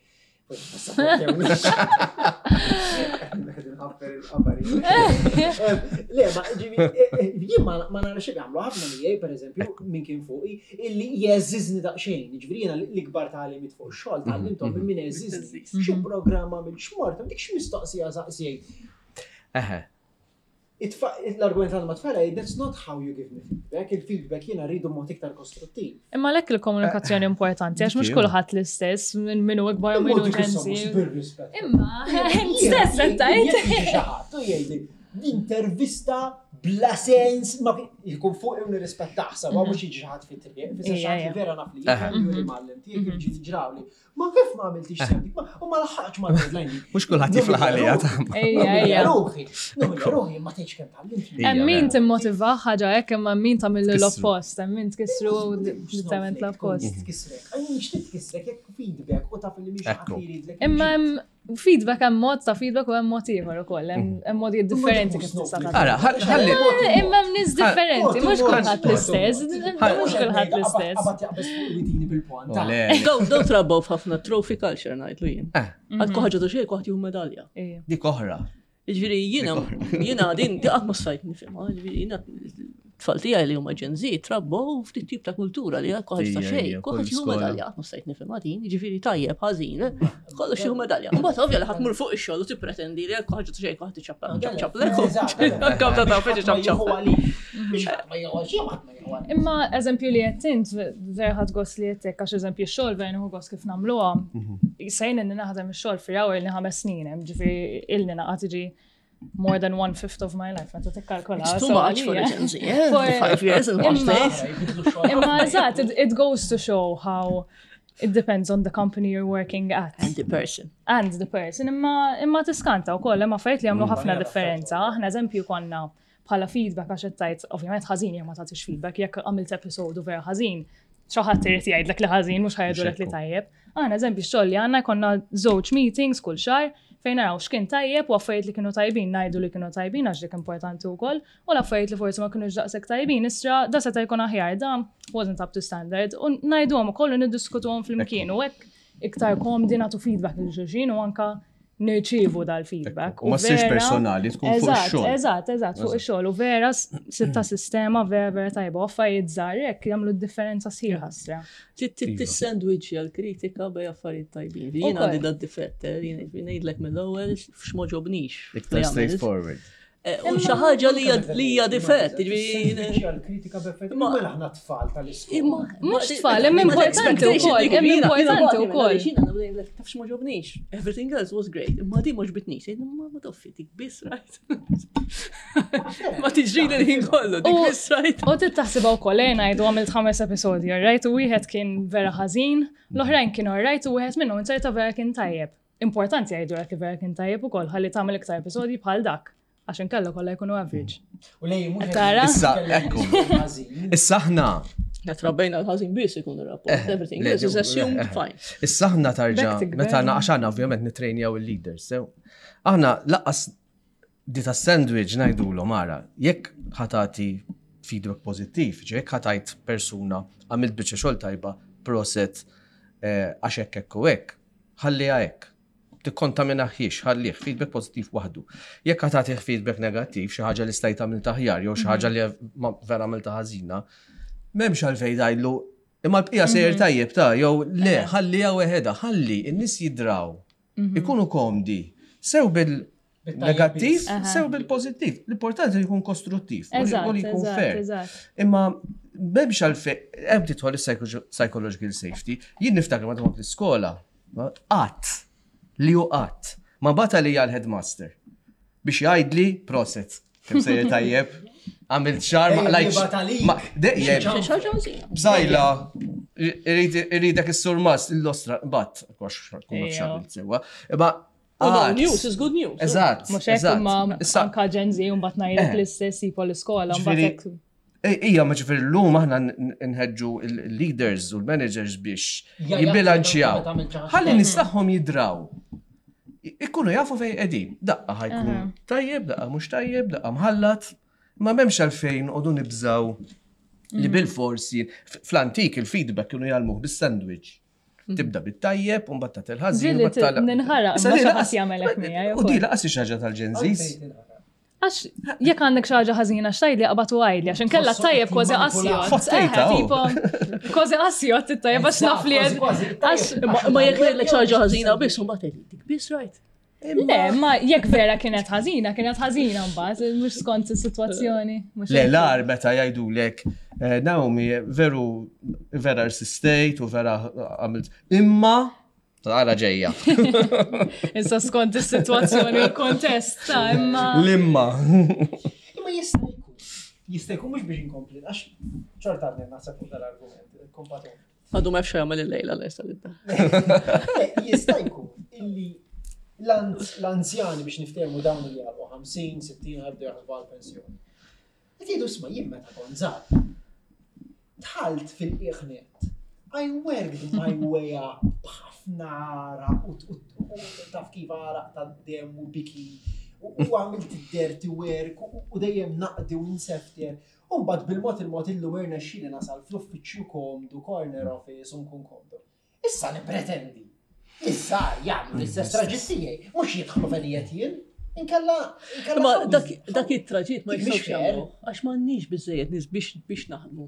A: Forsi ma sapportewniex. Qegħdin nħaffer il-qabari. Le, ma ġivi, jien ma ma nara xejn jagħmlu ħafna miegħi, pereżempju, min kien fuqi, illi jeżiżni daqsxejn. Ġifieri jiena l-ikbar tagħlimiet fuq ix-xogħol tgħallimthom minn min jeżiżni. Xi programm għamil x'mort, dik x'mistoqsija saqsejt.
B: Eħe.
A: L-argument għal ma' tfal, that's not how you give me feedback. Il-feedback jiena rridu mod iktar kostruttiv.
C: Imma lek il-komunikazzjoni importanti, għax mhux
B: Dik
C: kulħadd l-istess, minn minnu ikbar u minnu
A: Mod
C: Gen Z.
A: bir-rispett.
C: Imma, int stess qed tgħid.
A: Xi jgħidli, l-intervista bla sens, ma jkun fuq u nirrispettah sa, ma mhux jiġi xi ħadd fit-triq, fisser
C: Ija,
A: xi ħadd li
C: ija.
A: vera naf li
B: Aha.
A: jifhem li mgħallem tiegħek jiġi ġrawli. Ma kif ma għamiltix sew dik, ma- u ma laħaqx ma deadline dik.
B: Mhux kulħadd jiflaħ għalija ta'
C: Ejja, ejja.
A: Ruħi, nomina ruħi, ma tgħidx kemm tgħallimt.
B: Ija,
C: Hemm min
B: vera.
C: timmotiva ħaġa hekk, imma min tagħmel
B: Tkissru.
C: l-oppost, hemm min tkissru direttament l-oppost.
A: Tkissrek, għajn nixtieq tkissrek jekk feedback u taf li mhix ħadd
B: Ekku.
A: li jridlek.
C: Imma hemm feedback, hemm mod ta' feedback u hemm mod ieħor ukoll, hemm hemm modi differenti kif tista' tagħti.
B: Ara, ħalli
C: Eh, Imma hemm nies differenti, mhux kulħadd l-istess, mhux kulħadd l-istess.
A: Qabad jaqbeż fuq widini bil-pont.
B: Oh, le.
D: Daw daw trabbaw f'ħafna trophy culture ngħidlu jien.
B: Eh,
D: Għad kuħaġa ta' xejn kuħadd jieħu medalja.
C: Ejja.
B: dik oħra.
D: Ġifieri jiena jiena din di qatt ma stajt nifhimha, ġifieri jiena tfal tiegħi li huma Gen Z trabbaw ftit tip ta' kultura li għad kuħaġa ta'
B: Ija,
D: xejn,
B: ija,
D: kuħadd
B: kull
D: jieħu
B: skola.
D: medalja, qatt ma stajt nifhimha din, ġifieri tajjeb ħażin, eh, kollox jieħu medalja. Mbagħad ovvja li ħadd mur fuq ix-xogħol u tippretendi li għad kuħaġa ta' xejn kuħadd iċappa ċap ċap Kam ta' taf ċap ċap.
C: Imma eżempju li qed int, vera ħadt gost li qed hekk, għax eżempju x-xogħol vera nieħu gost kif nagħmluha. Sejn inni naħdem ix-xogħol fi hawn ilni ħames snin, hemm ġifieri ilni naqgħad tiġi more than one fifth of my life, meta tikkalkola.
D: It's too
C: so
D: much for a
C: għalija.
D: Gen Z, eh?
C: For-
D: Five years in one
C: Imma-
D: place.
C: Imma eżatt, it, it goes to show how it depends on the company you're working at.
D: And the person.
C: And the person. Imma, imma tiskanta u koll, imma affarijiet li jagħmlu ħafna differenza. Aħna eżempju konna bħala feedback, għax qed tgħid ovvjament ħażin jekk ma tagħtix feedback, jekk għamilt episodu vera ħażin, xi ħadd irid jgħidlek li ħażin, mhux ħa jgħidulek li
B: Xekku.
C: tajjeb. Aħna eżempju x-xogħol li għandna jkollna żewġ meetings kull xahar fejn naraw x'kien tajjeb u affarijiet li kienu tajbin ngħidu li kienu tajbin għax dik importanti wkoll, u l-affarijiet li forsi ma kinux daqshekk tajbin isra da seta' jkun aħjar, da wasn't up to standard, u ngħiduhom ukoll u niddiskutuhom flimkien u hekk iktar komdi nagħtu feedback lil xulxin u anka nirċievu dal-feedback.
B: U ma ssirx
C: vera-
B: personali, tkun fuq
C: Eżatt,
B: ix-xogħol.
C: Eżatt, eżatt, fuq ix-xogħol. U vera s- sitta sistema vera vera tajba. U affarijiet żgħar hekk jagħmlu d-differenza sħiħa stra.
D: Tis-sandwich għal-kritika bej affarijiet tajbin. Jien
C: Ukoll.
D: għandi da difett, eh, jien ngħidlek mill-ewwel x'm'għoġobnix.
B: Iktar straightforward.
D: Eh, U xi ħaġa li hija- li hija difett, ġifieri
A: Għal-kritika b'effett.
D: Imma-
A: Mela aħna tfal tal-iskola.
D: Imma
C: Mhux tfal, imma importanti wkoll, imma importanti wkoll.
D: Jiena ngħidlek taf x'm'għoġobnix. Everything else was great. Imma di m'għoġbitnix. Imma ma toffi dik biss right. Ma tiġri l-ħin kollu, dik
C: U-
D: biss right.
C: U tittaħsibha wkoll eh, ngħidu għamilt ħames episodji, alright? U wieħed kien vera ħażin, l-oħrajn kienu alright, u wieħed minnhom inserta vera kien tajjeb. Importanti jgħidu li vera kien tajjeb ukoll ħalli tagħmel iktar episodji bħal dak, għax inkella kollha jkunu average.
A: U lej, mhux
C: Tara?
B: Issa, ekku.
A: Ħażin.
B: Issa aħna,
D: Trabbejna l-ħażin biss ikun ir-rapport. Everything
B: le,
D: else is assumed
B: eh,
D: fine.
B: Issa aħna tarġa,
C: Back to
B: meta
C: gvern.
B: għax aħna ovvjament nitrejnjaw il-leaders, sew. Aħna lanqas di ta' sandwich ngħidulhom ara, jekk ħa tagħti feedback pożittiv, ġe jekk ħa tgħid persuna għamilt biċċa xogħol tajba, proset, eh, għax hekk hekk u hekk, ħalliha hekk. Tikkontaminaħiex, ħallih feedback pożittiv waħdu. Jekk ħa tagħtih feedback negattiv, xi ħaġa li stajt għamilt aħjar jew xi ħaġa li ma- vera għamilta ħażina, M'hemmx għalfejn tgħidlu, imma l-bqija sejjer tajjeb ta' jew le, ħalli weħidha, ħalli in-nies jidraw. Ikunu komdi. Sew bil-negattiv, sew bil-pozittiv. L-importanti li jkun kostruttiv. u li- u li
C: Eżatt,
B: jkun
C: eżatt,
B: fair.
C: eżatt.
B: Imma m'hemmx għalfejn, hemm tidħol is-psychological safety. Jien niftakar meta kont l-iskola, qatt li hu qatt ma bagħat li għal-headmaster biex jgħidli proset, kemm sejjer tajjeb, għamilt xahar ma
A: Ejja,
B: qlajtx.
A: jibgħat għalik.
B: Ma dejjem
D: Xi ħaġa ħażina.
B: bżajla, irridek is-surmas, l-ostra, bat, għax kun
C: Ejja.
B: xabilt sewa. Imma
D: U no
B: qatt.
D: news is good news.
B: Eżatt.
C: Mhux hekk
B: eżatt.
C: imma
B: Issa,
C: anka Gen Z u mbagħad ngħidlek
B: Eh.
C: l-istess tipo l-iskola, mbagħad
B: Ġifieri-
C: hekk.
B: Ija, ma ġifieri l-lum aħna nħedġu il-leaders u l-managers biex
A: Ja,
B: jibbilanċjaw.
A: meta tagħmel xi ħaġa
B: Ħalli nies tagħhom jidraw. Ikunu jafu fej qegħdin. Daqqa ħa jkun tajjeb, daqqa mhux tajjeb, daqqa mħallat. Ma m'hemmx għalfejn qogħdu nibżaw li bil-forsi fl-antik il-feedback kienu jgħallmuh bis-sandwich. Tibda bit-tajjeb, u mbagħad tagħti il-ħażin.
C: Ġieli
B: u mbagħad tal-
C: ninħaraq,
B: Issa
C: ma
B: di
C: xi
B: laqas-
C: ħadd jagħmel hekk miegħi
B: U
C: ukoll.
B: di laqas xi ħaġa tal-Gen Zs.
A: Għalfejn tinħaraq.
C: Għax jekk għandek xi ħaġa ħażina x'tgħidli qabad u għidli, għax inkella
A: Tħossok
C: tajjeb kważi
A: manipulat.
C: qasjot.
B: Fottejta,
C: Eh,
B: oh.
C: tipo, kważi qasjot it-tajjeb għax naf li
A: Kważi, kważi,
C: għax
D: Imma imma jekk ngħidlek xi ħaġa ħażina biss, mbagħad tgħid dik biss right.
C: Le, ma jekk vera kienet ħażina, kienet ħażina mbagħad, mhux skont is-sitwazzjoni. mhux
B: Le,
C: hekk.
B: l-ar meta jgħidulek, eh, Naomi, veru, vera persistejt u vera għamilt. Imma, għara ġejja.
C: Issa skont is-sitwazzjoni u l-kontest, ta' imma.
B: L-imma.
A: Imma jista' jkun. Jista' jkun mhux biex inkompli, għax xorta għadni naħseb fuq dal-argument, kompatu.
D: Għadu ma jafx jagħmel il-lejla lesta l
A: Le, Jista' jkun illi l-anzjani biex niftehmu dawn li għalqu ħamsin, sittin ħabdu jaħsbu għal-pensjoni. Qed jgħidu isma' jien meta kont żgħar. Dħalt fil-qiegħnet. I worked my way up b'ħafna għaraq u u- u taf kif għaraq ta' dem u biki u u għamilt id-dirty work u- u dejjem naqdi u nsefter. U mbagħad bil-mod il-mod illum irnexxieli nasal fl-uffiċċju komdu, corner office u nkun komdu. Issa nippretendi. Issa jagħmlu l-istess traġitt tiegħi, mhux jidħlu fejn qiegħed jien. Inkella inkella
D: Ma
A: ħawż.
D: dak dak it-traġitt ma
A: Dik mhix
D: jistgħux
A: fair.
D: jagħmlu għax m'għandniex biżejjed nies biex biex naħdmu.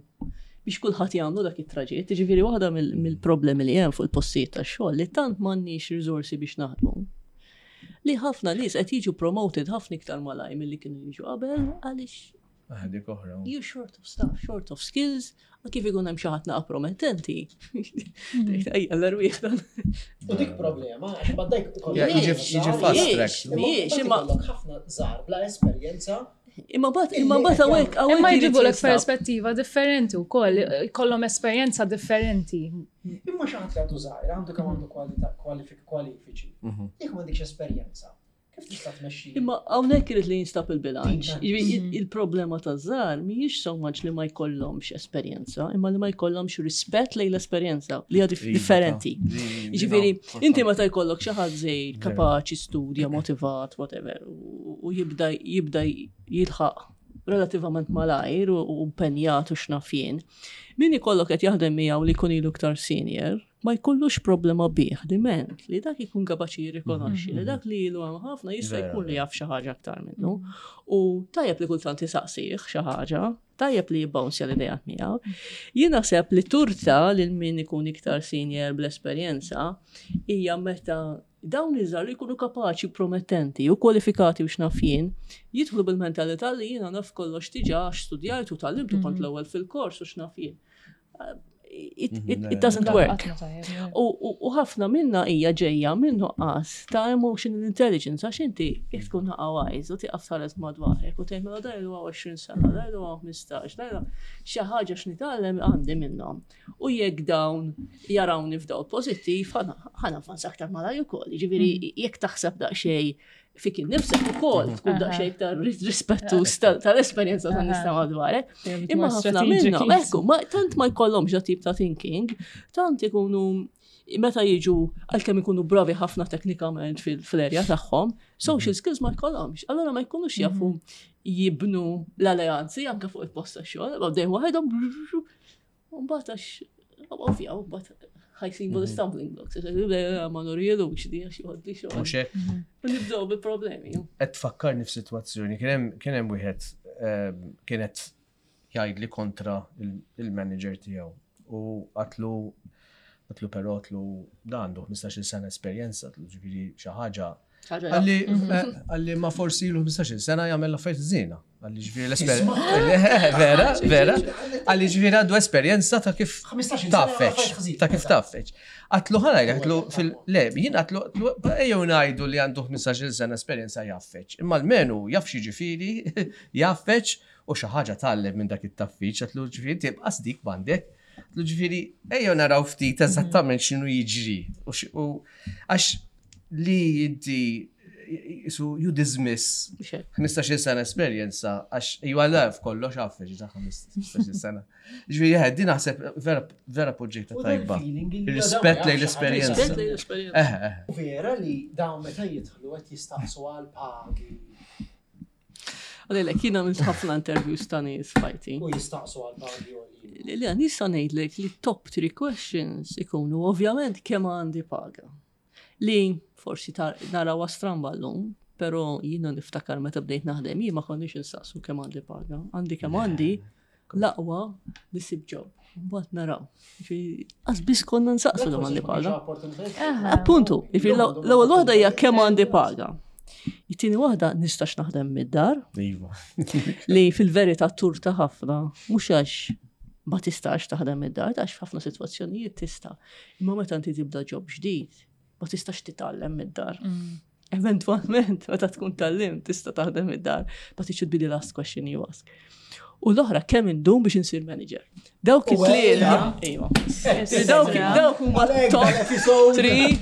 D: Biex kulħadd jagħmlu dak it-traġitt. Jiġifieri waħda mill- mill-problemi li hemm fuq il-postijiet tax-xogħol li tant m'għandniex riżorsi biex naħdmu. Li ħafna nies qed jiġu promoted ħafna iktar malaj milli kienu jiġu qabel għaliex
B: Dik oħra.
D: you short of staff, short of skills, u kif ikun hemm xi ħadd naqa promettenti. Tgħid ejja l-erwieħ dan.
A: U dik problema, għax baddajk
B: Ja, jiġi jiġi fast track.
D: Mhijiex, imma
A: ikollok ħafna żgħar bla esperjenza.
D: imma bat imma bat hawnhekk hawnhekk
C: Imma
D: irid
C: jġibu l
D: jinstab.
C: perspettiva differenti u koll, kollhom esperjenza differenti.
A: Imma xi ħadd li għandu żgħir, għandu kemm għandu kwalità kwalifik kwalifiċi. Jekk m'għandekx esperjenza, kif tista' tmexxi?
D: Imma hawnhekk irid li jinstab il-bilanċ.
A: Tinta.
D: Jiġifieri il- Il-problema ta' żgħar mhijiex so much li ma jkollhomx esperjenza, imma li ma jkollhomx rispett lejn l-esperjenza li hija dif- differenti. Jiġifieri, inti meta jkollok xi ħadd żgħir kapaċi studja, motivat, whatever, u u jibda jibda jilħaq relativament malajr u u impenjat u x'naf jien. Min ikollok qed jaħdem miegħu li jkun ilu iktar senior, ma jkollux problema bih, diment li dak ikun kapaċi jirrikonoxxi li dak li ilu hemm ħafna jista'
B: Vera,
D: jkun li jaf xi ħaġa aktar minnu. U tajjeb li kultant isaqsih xi ħaġa, tajjeb li jibbouncja l-idejat miegħu. Jien naħseb li turta lil min ikun iktar senior bl-esperjenza hija meta dawn iż-żgħar li jkunu kapaċi promettenti u kwalifikati u x'naf jien, jidħlu bil-mentalità li jiena naf kollox diġà għax studjajt u tgħallimt u kont l-ewwel fil-kors u x'naf jien. Uh, It, it, it doesn't work. U, u, u ħafna minna hija ġejja minn nuqqas ta' emotional intelligence għax inti jekk tkun naqa wise u tieqaf tħares madwarek u tgħid mela dan huwa għoxrin sena, dan huwa ħmistax, dan xi ħaġa x'nitgħallem għandi minnhom. U jekk dawn jarawni f'dawl pożittiv, ħa navvanza aktar malaj ukoll. Jiġifieri jekk taħseb daqsxejn fik innifsek ukoll tkun daqsxejn iktar rispettus tal-esperjenza tan-nies ta' madwarek. Imma ħafna minnhom, ekku, ma tant ma jkollhomx da tip ta' thinking, tant ikunu meta jiġu għalkemm ikunu bravi ħafna teknikament fil-erja tagħhom, social skills ma jkollhomx. Allora ma jkunux jafu jibnu l-alleanzi anke fuq il-post tax-xogħol, dejjem waħedhom u mbagħad għax ovvja, u mbagħad ħa jsibu l-stumbling blocks. Ma nurrilux di għax joħodli xogħol.
B: Mhux hekk.
D: U nibdew bil-problemi.
B: Qed tfakkarni f'sitwazzjoni, kien hemm kien hemm wieħed ehm, kienet jgħidli kontra il- il-manager tiegħu. U għedtlu għedtlu però għedtlu da għandu ħmistax-il sena esperjenza, għedtlu ġifieri xi ħaġa.
D: Ħaġa
B: Qalli, eh, qalli ma forsi ilu ħmistax-il sena jagħmel affarijiet żiena. Qalli ġifieri l-esperjenza. Vera, vera. Qalli ġifieri għandu esperjenza ta' kif
A: ħmistax-il sena jagħmel
B: taffeċ,
A: affarijiet ħżiena.
B: ta' kif taffeċ. Għedtlu ħa ngħidlek, għedtlu fil, le, jien għedtlu, għedtlu, ejjew ngħidu li għandu ħmistax-il sena esperjenza jaffeċ. Imma l-menu jaf ġifieri jaffeċ u xi ħaġa tgħallem minn dak it-taffiċ, għedtlu ġifieri tibqa' dik bandek. Għedtlu ġifieri ejjew naraw ftit eżattament x'inhu jiġri. U x- U għax li inti so you dismiss ħmistax-il sena esperjenza għax ju għalaf kollox għaffeġ ta' ħmistax-il sena. Ġifieri ħed, din naħseb vera vera poġġejta
A: U dan
B: tajba.
A: il-feeling li
B: Rispett
A: dawn
B: lejn
A: jaf xi ħaġa
B: l-esperjenza.
D: Rispett lejn l-esperjenza.
B: Eħe, eħe.
A: U vera li dawn meta jidħlu qed jistaqsu għal pagi
D: Għalilek, jiena għamilt ħafna interviews ta' nies f'ħajti.
A: u jistaqsu għal pagi u għalli.
D: Li li nista' ngħidlek li top three questions ikunu ovvjament kemm għandi paga. Li forsi tar- narawha stramba llum, però jiena niftakar meta bdejt naħdem, jien ma konniex insaqsu kemm għandi paga. Għandi kemm għandi l-aqwa li sib job. Mbagħad naraw. Ġifieri, Qas biss konna nsaqsu kemm għandi paga. Appuntu, ġifieri l-ewwel waħda hija kemm għandi paga. It-tieni waħda nistax naħdem mid-dar,
B: Iva.
D: li fil-verità turta ħafna, mhux għax ma tistax taħdem id-dar, għax f'ħafna sitwazzjonijiet tista'. Imma meta inti tibda job ġdid, ma tistax titgħallem mid-dar. Eventualment, meta tkun tgħallimt, tista' taħdem id-dar, but it should be the last question you ask. U l-oħra kemm indum biex insir manager. Dawk it-tlieta, iva. Dawk dawk huma top three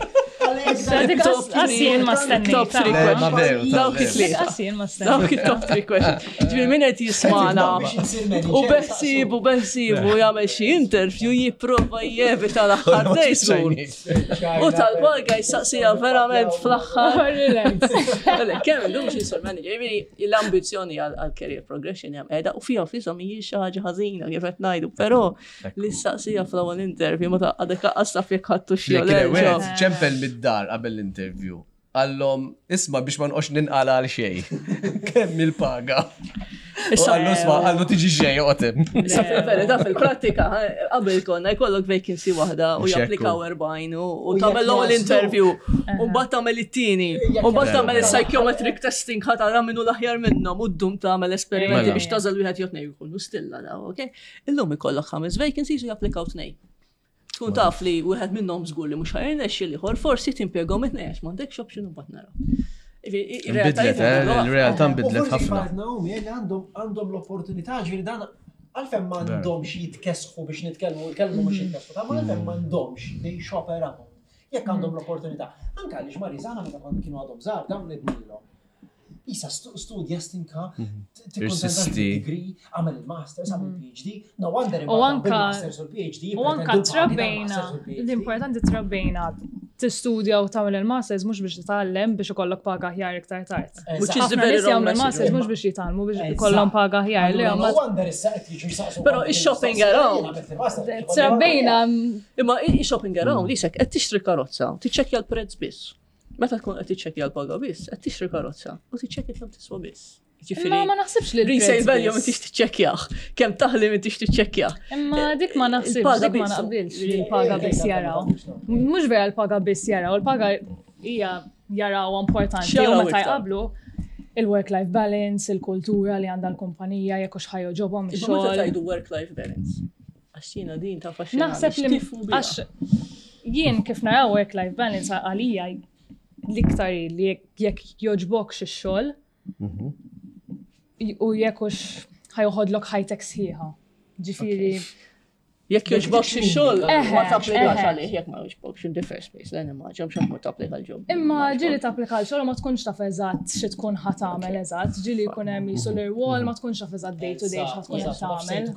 C: Dik
D: top
C: Qas jien ma stennejt.
D: Top three
B: Le, ma veru, ta'
D: Dawk
B: veru.
D: it-tlieta.
C: Qas jien ma stennejt.
D: Dawk it-top three questions. Ġifieri min qed jismana u beħsibu beħsibu jagħmel xi interview jipprova jevita l-aħħar dejsur. U tal-paga jistaqsija verament fl-aħħar.
C: Relax.
D: Le, kemm illum xi sur manager, jiġifieri l-ambizzjoni għal career progression hemm qiegħda u fiha fisa mhijiex xi ħaġa ħażina kif qed ngħidu, però li staqsija fl-ewwel interview meta għadek lanqas taf jekk ħadtu xi
B: Li kien
D: jew le.
B: wieħed ċempel mid-dar qabel l-interview. Qallhom, isma' biex ma nqox ninqala għal xejn. Kemm il-paga? U
D: Issa
B: qallu isma', qallu tiġi xejn, oqgħod.
D: Issa fil-verità fil-prattika, eh, qabel konna jkollok vacancy waħda u
B: Mhux hekk
D: japplikaw
B: hu.
D: erbgħin u u
A: U jekk
D: tagħmel l-ewwel
A: jaslu.
D: interview u mbagħad tagħmel it-tieni u mbagħad tagħmel il-psychometric testing ħa tara minnu l-aħjar minnhom u ddum tagħmel esperimenti
B: Mela.
D: biex tagħżel wieħed jew tnejn jkunu stilla daw, ok? Illum ikollok ħames vacancies u japplikaw tnejn. Tkun taf li wieħed minnhom żgur li mhux ħa jirnexxi l-ieħor forsi timpjegahom it-tnejn għax m'għandekx option u mbagħad naraw.
B: Nbidlet, eh, il-realtà nbidlet ħafna.
A: Naomi, li għandhom għandhom l-opportunità, ġifieri dan għalfejn m'għandhomx jitkesħu biex nitkellmu, il-kelmu mhux jitkesħu, ta' ma għalfejn m'għandhomx they shop around. Jekk għandhom l-opportunità. Anke għaliex Marizana meta kont kienu għadhom żgħar dawn nidnilhom. Isa stu- studja stinka, tikkuntenta
B: Irsisti.
A: degree, għamel il-masters, għamel il-PhD, no wonder
C: U anka-
A: il-masters u l-PhD.
C: U anka trabbejna, l-importanti trabbejna tistudja u tagħmel il-masters mhux biex titgħallem biex ikollok paga aħjar iktar tard.
D: Which is the
C: Ħafna
D: very
C: nies
D: wrong
C: jagħmlu
D: message.
C: il-masters mhux biex jitgħallmu biex ikollhom paga aħjar. Li
A: No
C: huma
A: wonder issa qed jiġu jsaqsu.
D: Però ix-shopping around.
C: trabbejna
D: Imma i-shopping around jisek qed tixtri karozza, tiċċekkja l-prezz biss. Meta tkun qed tiċċekkja l-paga biss, qed tixtri karozza u tiċċekkja kemm tiswa biss. Ġifieri
C: Imma ma naħsibx li
D: resale
C: l-prezz
D: value
C: biss.
D: m'intix tiċċekkjah, kemm taħli m'intix tiċċekkjah.
C: Imma dik ma naħsibx,
D: Il-paga
C: dik ma
D: biss.
C: naqbilx li l-paga biss jaraw. Mhux vera l-paga biss jaraw, il-paga hija jaraw importanti u
D: X'jaraw
C: meta
D: iktar?
C: jqablu il-work-life balance, il-kultura li għandha l-kumpanija, jekk hux ħa jogħġobhom
D: Imma meta
C: ix-xogħol.
D: tgħidu work-life balance. Għax jiena din ta' faxxinani.
C: Naħseb li
D: x'tifhmu biha?
C: għax jien kif naraw work-life balance għalija l-iktar hi li jekk- jekk jogħġbok ix-xogħol u jekk hux ħa joħodlok ħajtek sħiħa. Ġifieri,
D: Jekk jogħġbok xi xogħol,
C: Eħe,
D: ma tapplikax
C: eħe.
D: għalih jekk ma jogħġbokx in the first place. Le nimmaġina mhux ma tapplika l-job.
C: Imma ġieli tapplika l xogħol u ma tkunx taf eżatt xi tkun ħa tagħmel eżatt, ġieli jkun hemm jisu l-irwol ma tkunx taf eżatt day to day x'ħa tkun qed tagħmel.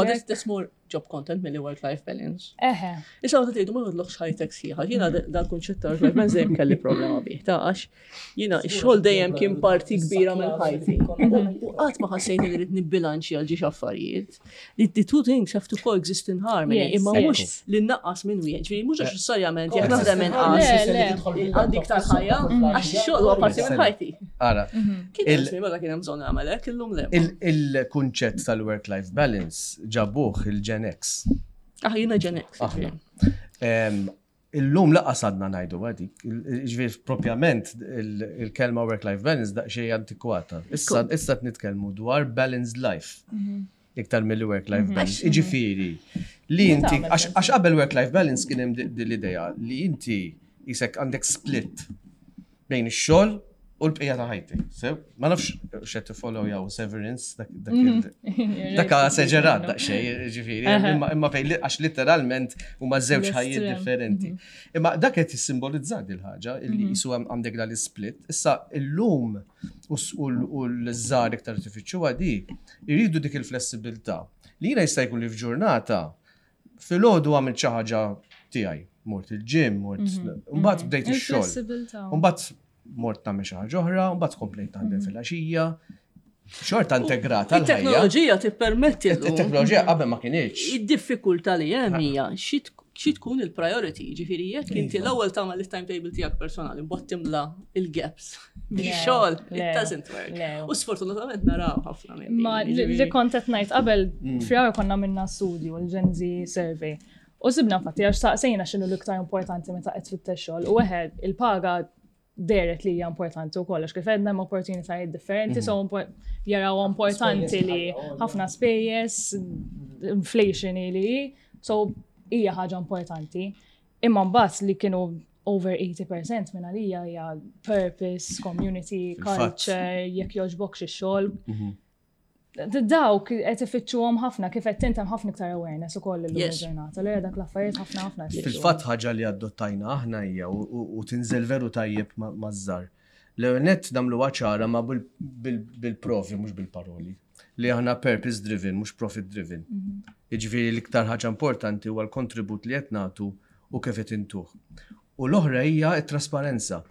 D: Ma that's, that's more job content milli work-life balance.
C: Eħe.
D: Issa meta tgħidu ma joħodlokx ħajtek sħiħa, jiena dal-kunċett ta' work-life balance dejjem kelli problema bih, ta' għax jiena x-xogħol dejjem kien parti kbira minn ħajti. U qatt ma ħassejt li rrid nibbilanċi għal ġiex affarijiet. The the two things have to coexist in harmony,
C: Yes,
D: imma
C: yes.
D: mhux li nnaqqas minn wieħed, ġifieri mhux neċessarjament jekk naħdem inqas
C: Le, le.
D: għandi iktar ħajja, għax ix-xogħol huwa parti minn ħajti.
B: Ara,
D: Kien
B: Il-
D: hemm żmien meta kien hemm bżonn nagħmel hekk, illum le.
B: il- il-kunċett tal-work-life balance ġabuh il-Gen X.
D: Ah, jiena Gen X.
B: Aħna. Em, Illum lanqas għadna ngħidu għadik, ġifieri propjament il- il-kelma work-life balance daqsxejn antikwata. Issa issa qed nitkellmu dwar balanced life. Iktar mill work-life balance. Iġifieri, li inti,
C: tagħmel
B: għax għax qabel work-life balance kien hemm di- di l-idea li inti jisek għandek split bejn ix-xogħol u l-bqija ta' ħajti. Sew, ma nafx x'qed tiffollow jew Severance dak dak il- dak esaġerat daqsxejn, ġifieri, imma imma fejn li- għax literalment huma żewġ ħajjiet
C: L-estrem.
B: differenti. Imma dak qed jissimbolizza din il-ħaġa illi jisu hemm għandek dal split. Issa illum u s- u l- u l-żgħar iktar tifittxuha di, jridu dik il-flessibilità. Li jiena jista' jkun li f'ġurnata filgħodu għamilt xi ħaġa tiegħi, mort il-gym, mort mbagħad bdejt ix-xogħol.
C: Il-flessibilità.
B: Mbagħad mort nagħmel xi ħaġa oħra, mbagħad komplejt naħdem filgħaxija. Xorta integrata l-ħajja.
D: Il-teknoloġija tippermetti llum.
B: Il-teknoloġija qabel ma kinitx.
D: Id-diffikultà li hemm hija xi tkun xi tkun il-priority, ġifieri jekk inti
B: Iva.
D: l-ewwel tagħmel il-timetable tiegħek personali, mbagħad timla il-gaps bix-xogħol, it
C: Le,
D: doesn't work.
C: le.
D: U sfortunatament naraw ħafna minn
C: Ma
D: din,
C: li li
D: ġifieri.
C: kont qed ngħid qabel f'Frar konna minna studju l-Gen Z survey. U sibna infatti għax saqsejna x'inhu l-iktar importanti meta qed tfittex xogħol u wieħed il-paga dehret li hija importanti u kollox kif għedna hemm opportunitajiet differenti, so impo- jaraw importanti li ħafna spejjeż, inflation li hi, so hija ħaġa importanti. Imma mbagħad li kienu over eighty percent minn għalija hija purpose, community,
B: Fil-fatt.
C: culture, jekk jogħġbokx ix-xogħol. Dawk qed ifittxuhom ħafna, kif qed tintem ħafna iktar awareness ukoll illum
D: Yes.
C: il-ġurnata. Allura dak l-affarijiet ħafna ħafna qed
B: Fil-fatt ħaġa li adottajna aħna hija u- u u tinżel veru tajjeb ma- maż-żgħar. L-ewwel nett nagħmlu ċara ma bil- bil- bil-provi mhux bil-paroli. Li aħna purpose driven, mhux profit driven. Jiġifieri l-iktar ħaġa importanti huwa l-kontribut li qed nagħtu u kif qed intuh. U l-oħra hija t-trasparenza.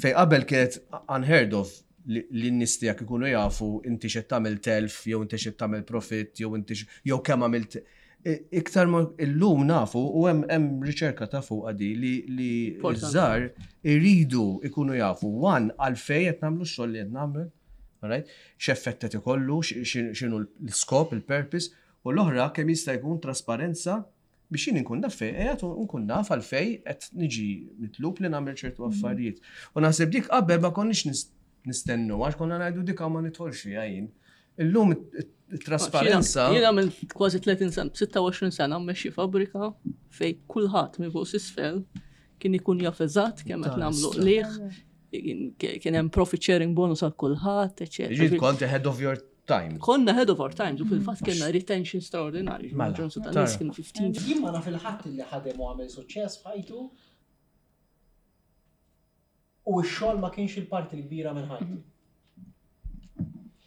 B: Fej qabel kienet unheard of li li n-nies tiegħek ikunu jafu inti x'qed tagħmel telf, jew inti x'qed tagħmel profit, jew inti x- jew kemm għamilt. I- Iktar ma illum nafu u hemm hemm riċerka ta' fuq għadi li li
D: Importanti.
B: ż-żgħar iridu ikunu jafu one għalfejn qed nagħmlu x-xogħol li qed nagħmel, alright? X'effett qed ikollu, x- x'inhu l-iskop, il-purpose, u l-oħra kemm jista' jkun trasparenza biex jien inkun naf fejn qiegħed u nkun naf għalfejn qed niġi mitlub li nagħmel ċertu affarijiet. U naħseb dik qabel ma konniex nis- nistennu għax konna ngħidu dik ma nidħolx fiha jien. Illum it-trasparenza.
D: Jiena minn kważi tletin sena, sitta u għoxrin sena mmexxi fabrika fej kulħadd minn fuq s'isfel kien ikun jaf eżatt kemm qed nagħmlu qligħ, kien hemm profit sharing bonus għal kulħadd, eċetera.
B: Ġiet kont ahead of your time.
D: Konna ahead of our times u fil-fatt kellna retention straordinarju.
B: Mela,
D: Maġġoranza
B: tara.
D: tan-nies kienu ħmistax.
A: Jien ma naf il-ħadd li ħadem u għamel suċċess f'ħajtu u x-xogħol ma kienx il-parti l-kbira minn ħajtu.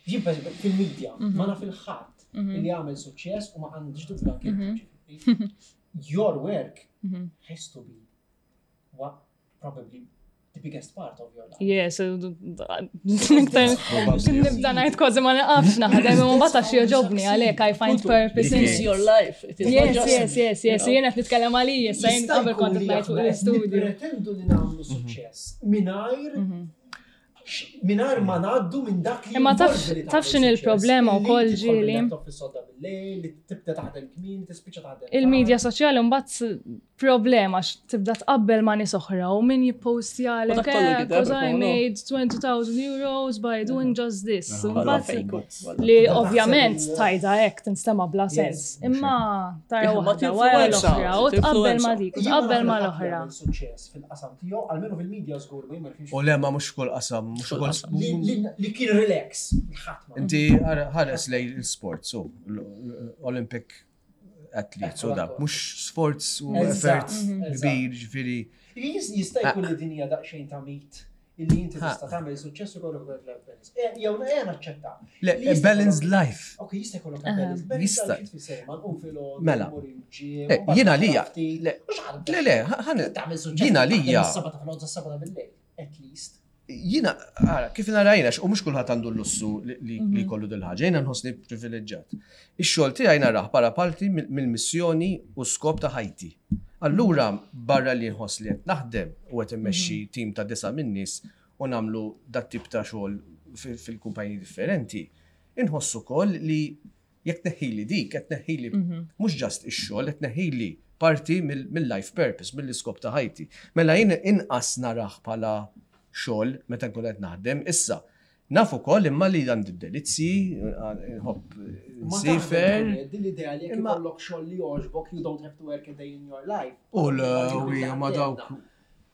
A: Jien per eżempju, fil-medja ma naf il-ħadd li għamel suċċess u ma għandix dubju anke ġifieri. Your work has to be what probably the biggest part of your life.
C: Yes, iktar nibda ngħid kważi ma naqafx naħdem, imma mbagħad għax jogħġobni, għalhekk I find purpose in
D: It is your life. It is not
C: Yes,
D: just
C: yes, yes, yes, jiena qed nitkellem għalija, issa jien
A: Jista'
C: qabel
A: jkun
C: kont
A: li
C: qed ngħid fuq
A: aħna qed
C: l-istudju.
A: Nippretendu li nagħmlu suċċess mingħajr mingħajr ma ngħaddu minn dak li
C: Imma taf-
A: jinvolvi li
C: taf
A: tagħmel
C: x'inhi
A: suċċess.
C: l-problema
A: Li
C: wkoll
A: tidħol
C: ġieli?
A: bil-laptop fis-sodda bil-lejl, li tibda taħdem kmin, tispiċċa taħdem.
C: Il-medja soċjali mbagħad problema għax tibda tqabbel ma' nies oħra u min jippostjalek
D: U dak kollu
C: "Eh,
D: gideb,
C: 'cause I
D: no.
C: made twenty thousand euros by doing just this." U
D: Kollha
C: mbagħad
D: fake.
C: li ovvjament tajda hekk tinstema bla
A: Yes.
C: sens. Imma tara
D: Ma
C: waħda wara
D: tinfluwenza,
C: l-oħra u tqabbel ma
D: tinfluwenza.
C: dik u
A: Jien ma
C: tqabbel
A: naf
C: ma
A: il-ħadd li
C: l-oħra.
A: għamel suċċess fil-qasam tiegħu, almenu fil-medja żgur, ma jien ma nafx.
B: U le ma mhux kull qasam, mhux
D: Kull
B: kull
D: qasam.
A: Li- li- Li kien relax, ħadd ma.
B: Inti ħares lej il-sport, so l- Olympic athletes u da, mhux sforz u
A: Eżatt,
B: effort
A: eżatt.
B: kbir, ġifieri.
A: Jis- Jista' jkun li din hija daqsxejn ta' mit illi inti
B: Ha.
A: tista' tagħmel suċċess ukoll ukoll life balance. Eh, Jew eh naċċetta.
B: Le,
A: Li jista'
B: balanced
A: jkollok-
B: life.
A: Ok, jista' jkollok balance. Balance
B: Jista'.
A: life tfisser ma nqum filgħodu,
B: Mela.
A: mmur il-gym,
B: Eh,
A: u mbagħad
B: Jiena
A: naqra
B: lija,
A: ftit.
B: le,
A: Mhux ħadd
B: le, le, ħan,
A: tagħmel suċċess.
B: jiena
A: taħdem
B: lija,
A: is-seba ta' filgħodu sas-seba ta' bil-lejl, at least.
B: Jiena, ara, kif narajna, u mhux kulħadd għandu l-lussu li- li li jkollu dil-ħaġa, jiena nħossni privileġġjat. Ix-xogħol tiegħi narah bħala parti mill- mill-missjoni u skop ta' ħajti. Allura, barra li nħoss li qed naħdem u qed immexxi tim ta' disa' min nies u nagħmlu dat tip ta' xogħol fil- fil-kumpaniji differenti, inħossu wkoll li jekk tneħħili dik, qed tneħħili mhux just ix-xogħol, qed tneħħili parti mill- mill-life purpose, mill-iskop ta' ħajti. Mela jien inqas narah bħala xogħol meta nkun qed naħdem. Issa, naf ukoll imma li għandi d-delizzi, nħobb
A: Ma
B: nsiefer.
A: taħdem, Din l-idea li jekk
B: Imma-
A: ikollok xogħol li jogħġbok, you don't have to work a day in your life.
B: U l- ma dawk.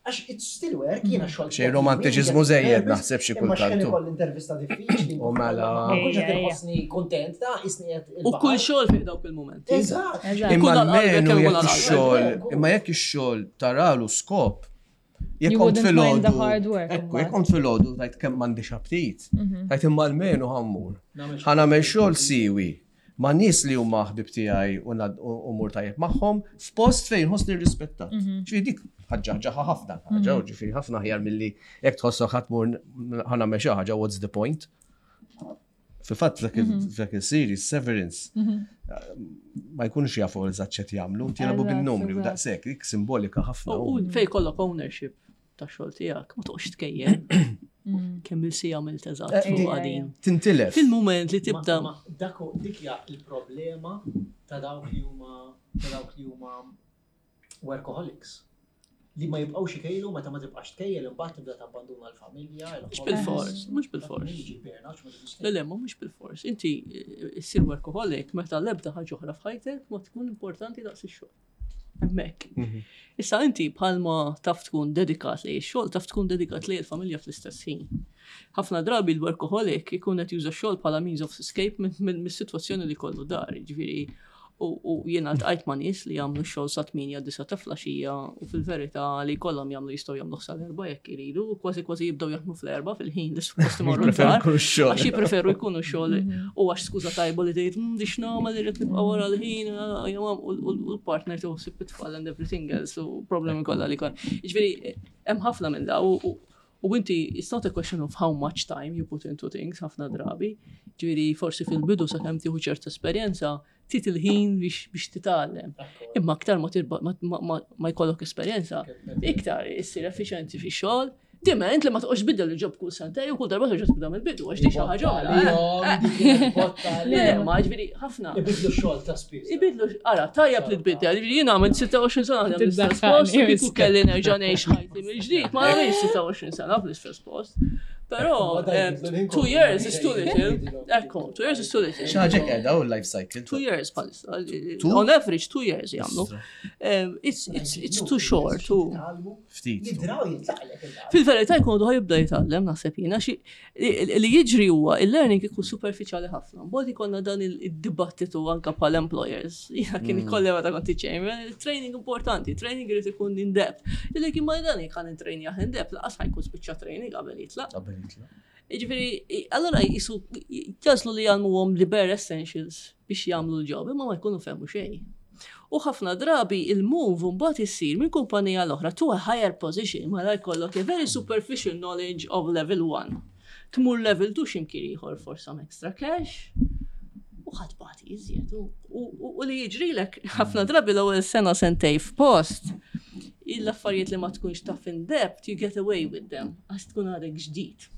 A: Għax it's still work, jiena xogħol.
B: Xej romantiċiżmu żejjed naħseb xi
A: Imma xejn
B: kultant.
A: ikolli intervista diffiċli.
B: U mela.
A: Ma nkunx qed
C: Ejja, ejja.
A: inħossni kontent ta' isni qed
D: U kull xogħol fih dawk il-momenti.
A: Eżatt.
C: Eżatt.
B: Imma
D: Ikun għal qalbek
B: almenu
D: jew
B: jekk
D: għal qalbek.
B: ix-xogħol, imma jekk ix-xogħol taralu skop, jekk
C: You
B: kont
C: wouldn't mind the
B: filgħodu,
C: hard work,
B: ekku,
C: imbagħad.
B: jekk kont filgħodu tajt kemm m'għandix aptit, tajt imma almenu ħa mmur.
A: Nagħmel
B: Ħa nagħmel xogħol siwi ma' nies li huma ħbib tiegħi u nad- u u mur tajjeb magħhom f'post fejn ħossni rispettat. Ġifieri dik ħaġa ħaġa ħafna ħaġa, u ġifieri ħafna aħjar milli jekk tħossok ħa tmur ħa nagħmel xi ħaġa, what's the point? Fil-fatt f'dak il- f'dak il-series Severance ma jkunux jafu eżatt x'qed jagħmlu, jilagħbu
C: Eżatt,
B: bin-numri u
C: eżatt.
B: daqshekk, dik simbolika ħafna.
D: U u fejn kollok ownership ta' xogħol tiegħek, ma toqgħodx tkejjel. Kemm il-siegħa għamilt eżatt
B: Eh,
D: fuq
B: di-
D: għadin.
B: Tintilef.
D: Fil-moment li tibda
A: Ma- ma Dak dik hija il-problema ta' dawk li huma ta' dawk li huma workaholics. Li ma jibqgħux ikejlu meta ma tibqax tkejjel imbagħad tibda tabbanduna l-familja.
D: Mhux bil-fors, mhux bil-fors.
A: Jiġi burnout, ma tibqax
D: Le, le, ma mhux bil-fors. Inti eh, issir workaholic meta l-ebda ħaġa oħra f'ħajtek ma tkun importanti daqs ix-xogħol. Hemmhekk. Issa inti bħalma taf tkun dedikat li x-xogħol, taf tkun dedikat li l-familja fl-istess ħin. Ħafna drabi l-workaholic ikun qed juża x-xogħol bħala means of escape minn min, mis-sitwazzjoni li kollu dar, ġifieri u, u jiena ltqajt ma' nies li jagħmlu x-xogħol sa tmienja disa ta' filgħaxija u fil-verità li kollhom jagħmlu jistgħu jagħmlu sal-erba' jekk iridu, u kważi kważi jibdew jaħdmu fl-erba' fil-ħin li suppost imorru
B: Jippreferu
D: d-dar.
B: jkunu x-xogħol.
D: Għax jippreferu jkunu xogħol u għax skuża tajba li tgħid "Mm, di x'nagħmel irrid nibqa' wara l-ħin ah, jew u u l-partner tuħsib it-tfal and everything else u problemi kollha li kon. Jiġifieri hemm ħafna minn da u u- u inti it's not a question of how much time you put into things ħafna drabi. Ġifieri forsi fil-bidu sakemm tieħu ċerta esperjenza tit il-ħin biex biex titgħallem. Imma aktar ma tirba ma, ma, ma, ma jkollok esperjenza, iktar issir effiċjenti fix-xogħol. Diment li ma toqgħodx tbiddel il-job kull sentej u kull darba terġa' tibda mill-bidu għax di xi ħaġa oħra. eh. Le, ma ġifieri ħafna.
A: Ibidlu xogħol ta' spiss.
D: Ibidlu, ara, tajjeb li tbiddel, ġifieri jiena għamilt sitta u għoxrin sena naħdem l-istess post, u kieku kelli nerġa' ngħix ħajti mill-ġdid, ma nagħmilx sitta u għoxrin sena fl-istess post. Però, eh, two years is too little. Ekku, two years is too little.
B: Xi ħaġa qiegħda u l-life cycle.
D: Two years bħalissa.
B: Two?
D: On average, two years jagħmlu. Um, It's, it's, it's too short. Too.
B: Ftit.
A: Jidraw jitlaqlek il
D: Fil-verità jkun għadu jibda jitgħallem naħseb jiena xi li jiġri huwa il-learning ikun superficiali ħafna. Mbagħad ikollna dan il-dibattitu anka bħal employers. Jiena kien ikolli meta kont chairman, il-training importanti, training irid ikun in depth. Illi kien ma dan jekk intrejnjah in depth, laqas ħa jkun spiċċa training qabel jitlaq.
B: Qabel jitlaq.
D: Jiġifieri, allora jisu jaslu li jgħallmuhom li bare essentials biex jagħmlu l-job, imma ma jkunu fehmu xejn. U ħafna drabi il-move mbagħad issir minn kumpanija l-oħra to a higher position, ma la jkollok a very superficial knowledge of level one. Tmur level two x'imkien ieħor for some extra cash. U ħadd bati iżjed. U- U u li jiġrilek ħafna drabi l-ewwel sena sentej f'post, l-affarijiet li ma tkunx taf in depth, you get away with them, għax tkun għadek ġdid.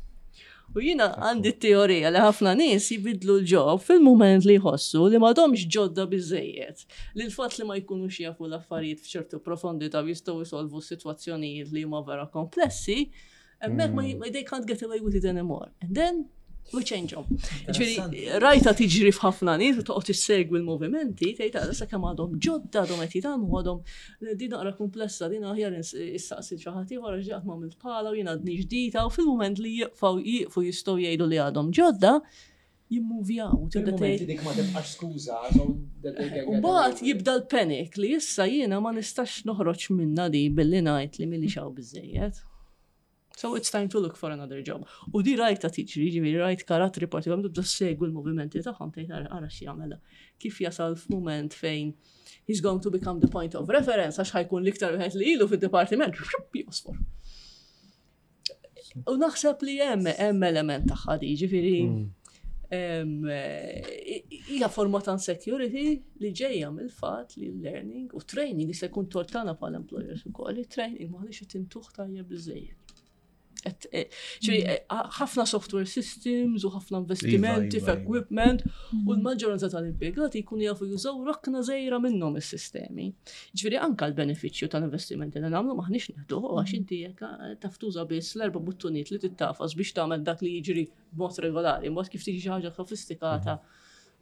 D: U jina għandi teorija li ħafna nies jibidlu l-job fil-moment li jħossu li m'għadhomx ġodda biżejjed. Li l-fatt li ma jkunux jafu l-affarijiet f'ċertu profondità u jistgħu jsolvu sitwazzjonijiet li huma vera komplessi, hemmhekk ma ma they can't get away with it anymore. And then we change job. Ġifieri, rajta tiġri f'ħafna nies u toqgħod issegwi l-movimenti, tgħid għadha sakemm għadhom ġodda għadhom qed jitgħallmu għadhom din naqra komplessa, din aħjar issaqsi xi ħadd ieħor għax ġaqt m'għamilt bħala u jien għadni ġdida u fil-mument li jieqfaw jieqfu jistgħu jgħidu li għadhom ġodda, jimmuvjaw. Tibda
A: Il-moment
D: tgħid
A: dik ma tibqax skuża, so that they can
D: U
A: get
D: mbagħad
A: away with it.
D: jibda l-panic li issa jiena ma nistax noħroġ minna di billi ngħid li milli xaw biżejjed. So it's time to look for another job. U di rajta tiġri, ġifieri rajt karattri partikolarment tibda segwi l-movimenti tagħhom tgħid ara ara x'jagħmel. Kif jasal f'mument fejn he's going to become the point of reference għax ħa jkun l-iktar wieħed li ilu fid-dipartiment, josfor. U naħseb li hemm hemm element tagħha di, ġifieri em, eh, hija forma ta' insecurity li ġejja mill-fatt li l-learning u training jista' jkun tort tagħna bħala employers ukoll, li training m'aħniex qed intuh tajjeb biżejjed. Qed- eh, ġifieri, eh, ħafna software systems u ħafna investimenti
B: Iva, iva,
D: f'equipment u l-maġġoranza tal-impjegati jkunu jafu jużaw rokna żgħira minnhom is-sistemi. Ġifieri anka l-benefiċċju tal-investimenti li nagħmlu maħniex neħduh għax inti jekk eh, taf tuża biss l-erba' buttuniet li tittafas biex tagħmel dak li jiġri b'mod regolari, mod kif tiġi xi ħaġa sofistikata.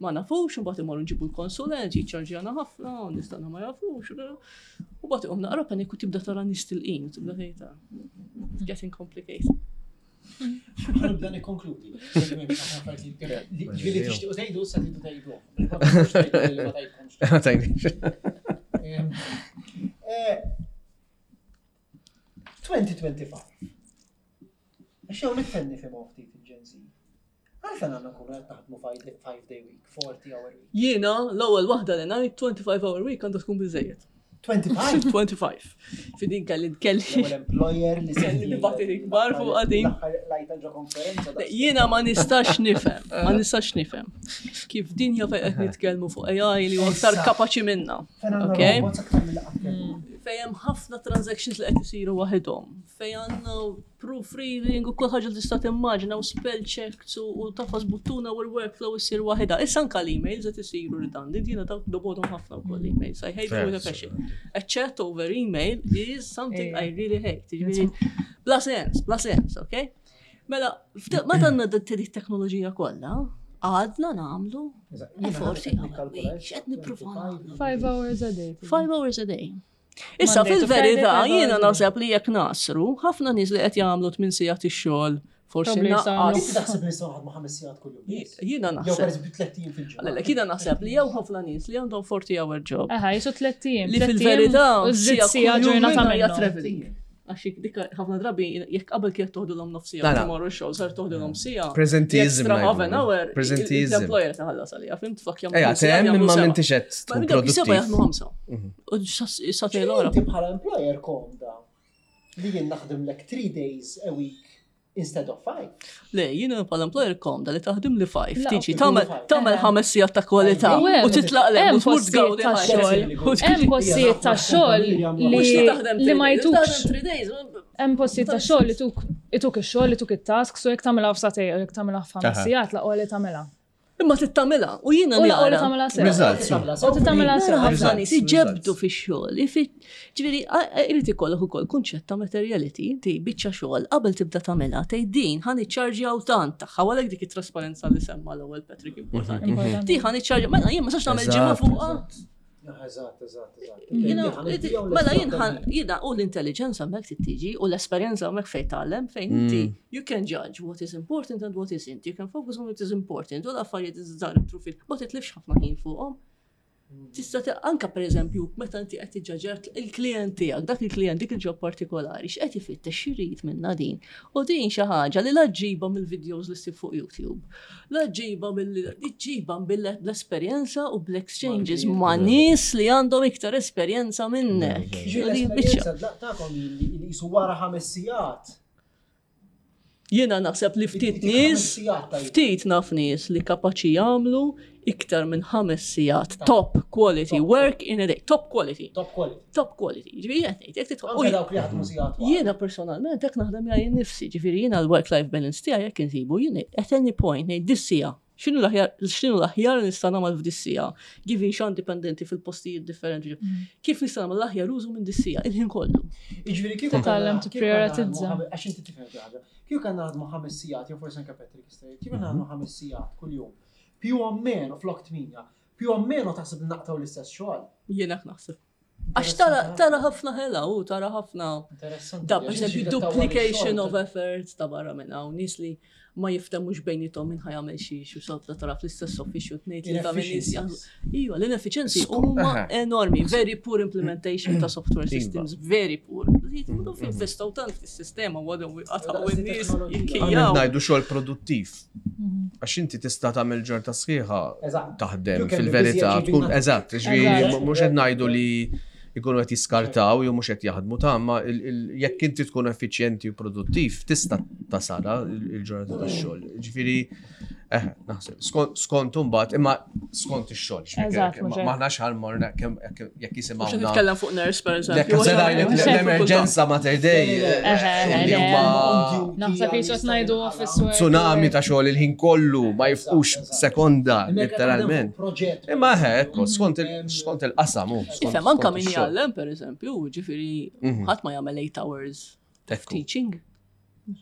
D: Ma nafux, mbagħad imorru nġibu l-konsulent, jiċċarġjana ħafna, u nistana ma jafux. U mbagħad iqum naqra paniku tibda tara nies tilqin, tibda tgħid, "It's getting complicated."
A: Ħa nibda nikkonkludi. Ġifieri tixtiequ tgħidu, sa tridu tgħidu. Ma tgħidkomx.
B: Ma tajniex.
A: Em, eh, twenty twenty-five. Għax jew nifhem nifhimhom ftit il-Gen Z. Għalfejn għandna nkunu qed naħdmu five day week, forty hour week?
D: Jiena l-ewwel waħda li ngħid, twenty-five hour week għandha tkun biżejjed.
A: twenty-five?
D: twenty-five. Fidin kelli kelli
A: L-ewwel employer li
D: Kelli dibattiti kbar fuq għadin.
A: Lajta ġo konferenza. daqs-
D: Jiena ma nistax nifhem, ma nistax nifhem kif dinja fejn qed nitkellmu fuq A I li huwa aktar
A: Issa.
D: kapaċi minna.
A: Fejn għandna
D: Okay.
A: robots aktar mill qatt kellna.
D: Fejn hemm ħafna transactions li qed isiru waħedhom, fejn għandna proofreading u kull ħaġa li tista' timmaġina u spell checks u u tafas buttuna u l-workflow issir waħedha. Issa anka l-emails qed isiru redundant, jiena dawk nobgħodhom ħafna wkoll emails. I hate them with a passion. A chat over email is something I really hate. Ġifieri, bla sens, bla sens, okay? Mela, f'da- meta għandna din it-teknoloġija kollha, għadna nagħmlu
A: Eżatt,
D: a
A: jiena
D: forty
A: qed
D: hour
A: nikkalkula
D: week, x'qed nippruvaw nagħmlu?
C: Five hours a day.
D: Five hours a day. Issa
C: Monday to
D: fil-verità
C: Friday, five
D: jiena
C: hours a day.
D: naħseb li jekk nasru, ħafna nies li qed jagħmlu tmien sigħat ix-xogħol, forsi
C: Probably
D: naqqas.
A: Inti taħseb li nistgħu naħdmu ħames sigħat kuljum biss?
D: Jiena
A: Jew
D: naħseb.
A: pereżempju tlett ijiem fil-ġimgħa.
D: Le, jiena naħseb li jew ħafna nies li għandhom forty hour job.
C: Aha, jisu tlett ijiem.
D: Li fil-verità
C: u żid siegħa ġurnata
D: minnha hija
C: minnhom.
D: traveling. Għax dik ħafna drabi jekk qabel kienet toħdulhom nofs siegħa
B: La, la.
D: tomorrow xogħol, sar toħdulhom siegħa.
B: Presenteeism
D: Extra half an
B: ngħidu.
D: hour.
B: Presenteeism.
D: L-employer taħallas għalija, fimt flok jagħmlu
B: Ejja,
D: siegħa,
B: tem
D: jagħmlu
B: imma
D: seba'.
B: m'intix qed
D: Ma
B: tkun
D: minn dawk seba'
B: produttiv.
D: jaħdmu ħamsa. U sagħtejn l-oħra.
A: Inti bħala employer komda li jien naħdem lek three days a week instead of five.
D: Le, jiena bħala employer komda li taħdem li five,
C: La,
D: tiġi
A: ok.
D: tagħmel
A: Five.
D: tagħmel
C: Eh.
D: ħames sigħat ta' kwalità
C: U hemm-
D: u titlaq lem
C: hemm
D: u tmur
C: postijiet
D: tgawdi
C: ta'
D: ħajtek.
C: xogħol.
D: U tiġi-
C: Hemm postijiet ta' xogħol
D: Mhux
C: li
D: taħdem
C: li ma
D: three days,
C: jtukx.
D: taħdem three days.
C: Hemm postijiet ta' xogħol li tuk ituk ix-xogħol, ituk it-task, so jekk tagħmilha f'sagħtejn u jekk tagħmilha f'ħames
B: Aha.
C: sigħat laqgħu li tagħmilha.
D: Imma tittamilha u jiena
C: U laqgħu li
D: nara.
C: tagħmilha sew.
B: Results.
C: U titagħmilha sew.
D: Nara ħafna
B: Results,
D: nies iġebdu
B: results.
D: fix-xogħol. Ġifieri, irid ikollok ukoll kunċett ta' materiality, inti biċċa xogħol qabel tibda tagħmilha tgħid din ħa niċċarġjaw tant tagħha, għalhekk dik it-trasparenza li semma l-ewwel Patrick importanti.
C: Importanti.
D: Di ħa niċċarġja, mela jien ma sax nagħmel ġimgħa fuqha.
A: Eżatt, eżatt, eżatt.
D: Jiena, mela jien ħan- jiena u l-intelligenza hemmhekk tiġi u l-esperjenza hemmhekk fejn tgħallem fejn inti you can judge what is important and what isn't. You can focus on what is important u l-affarijiet iż-żgħar trufil ma titlifx ħafna ħin fuqhom. Tista' ti- anka pereżempju meta inti qed tiġġaġġer il-klient tiegħek, dak il-klient dik il-job partikolari, x'qed ifittex, x'irid minna din. U din xi ħaġa li la ġġibha mill-videos li ssib fuq YouTube. La ġġibha mill ġġibha bl-esperjenza u bl-exchanges ma' nies li għandhom iktar esperjenza minnek.
A: Ġifieri
D: U din biċċa.
A: l-esperjenza tagħkom li li jisu wara ħames sigħat.
D: Jiena naħseb li ftit
A: Dik
D: nies,
A: ħames sigħat tajjeb.
D: ftit naf nies li kapaċi jagħmlu iktar minn ħames sigħat top quality
A: Top
D: work in a day. Top quality.
A: Top quality.
D: Top quality. Ġifieri qed ngħid, jekk tidħol.
A: Anke dawk li jaħdmu sigħat twal.
D: Jiena personalment hekk naħdem jgħin nifsi, ġifieri jiena l-work-life balance tiegħi jekk insibu jien at any point ngħid dis-siegħa. X'inhu l-aħjar x'inhu l-aħjar li nista' nagħmel f'dis-siegħa? Given xan dipendenti fil-postijiet differenti. Kif nista' nagħmel l-aħjar użu minn dis-siegħa il-ħin kollu?
A: Jiġifieri kieku
C: Titgħallem
A: kellna- kieku
C: tipprioritizza.
A: kellna naħdmu ħame- Għax inti tifhem xi ħaġa. Kieku kellna naħdmu ħames sigħat, jew forsi anke Patrick jista' jgħid, kieku naħdmu ħames sigħat kuljum. Più o meno flok tminja, più o meno taħseb li naqtaw l-istess xogħol.
D: Jiena hekk naħseb. Għax tara tara ħafna ħela u tara ħafna
A: Interessanti.
D: Da,
A: Għax
D: per esempio,
A: inti tawwal
D: duplication
A: ix-xogħol,
D: of effort ta' barra minn hawn, nies li ma jiftemux bejniethom minn ħa jagħmel xi xi sodda tara fl-istess office u tnejn li ta' minn nies
A: Inefficiencies.
D: jaħdmu. Iva, l-inefficiency huma
B: Aha.
D: enormi, very poor implementation ta' software
B: Iva.
D: systems, very poor. Jitmudu investaw tant fis-sistema u għadhom għataw
A: Daqs
D: in-nies
A: teknoloġija.
B: Għamil
D: jikkijaw.
B: ngħidu xogħol produttiv. Għax inti tista' tagħmel ġorta sħiħa
A: Eżatt.
B: taħdem
A: You can be
B: fil-verità
A: busy
B: tkun
A: achieving
B: eżatt, ġifieri
C: Eżatt.
B: mhux qed ngħidu li jkunu qed jiskartaw jew mhux qed jaħdmu ta' ma il- il- jekk inti tkun effiċjenti u produttiv tista' tasara il-ġurnata tax-xogħol. Ġifieri Eh, naħseb. Skont skont imbagħad, imma skont ix-xogħol.
C: Eżatt, mhux hekk.
B: M'aħnax ħa mmorru kemm jekk
D: Mhux
B: jisimgħuna.
D: nitkellem fuq nurse, per
B: Jekk
D: eżempju.
B: se ngħidlek
C: Mhux hekk.
B: l-emerġenza Mater Dei.
C: Eħe,
B: li
C: le.
B: huma
C: Naħseb jisu ngħidu office work.
B: tsunami ta' xogħol il-ħin kollu ma jifqux sekonda, letteralment.
A: Proġett.
B: Imma eħe, ekku, skont il- skont il-qasam. hu, skont-
D: Ifhem, anka
B: skont
D: min
B: ix-xogħol.
D: jgħallem, per eżempju, ġifieri,
B: Mhm.
D: ħadd ma jagħmel eight hours of
B: Ekku.
D: teaching.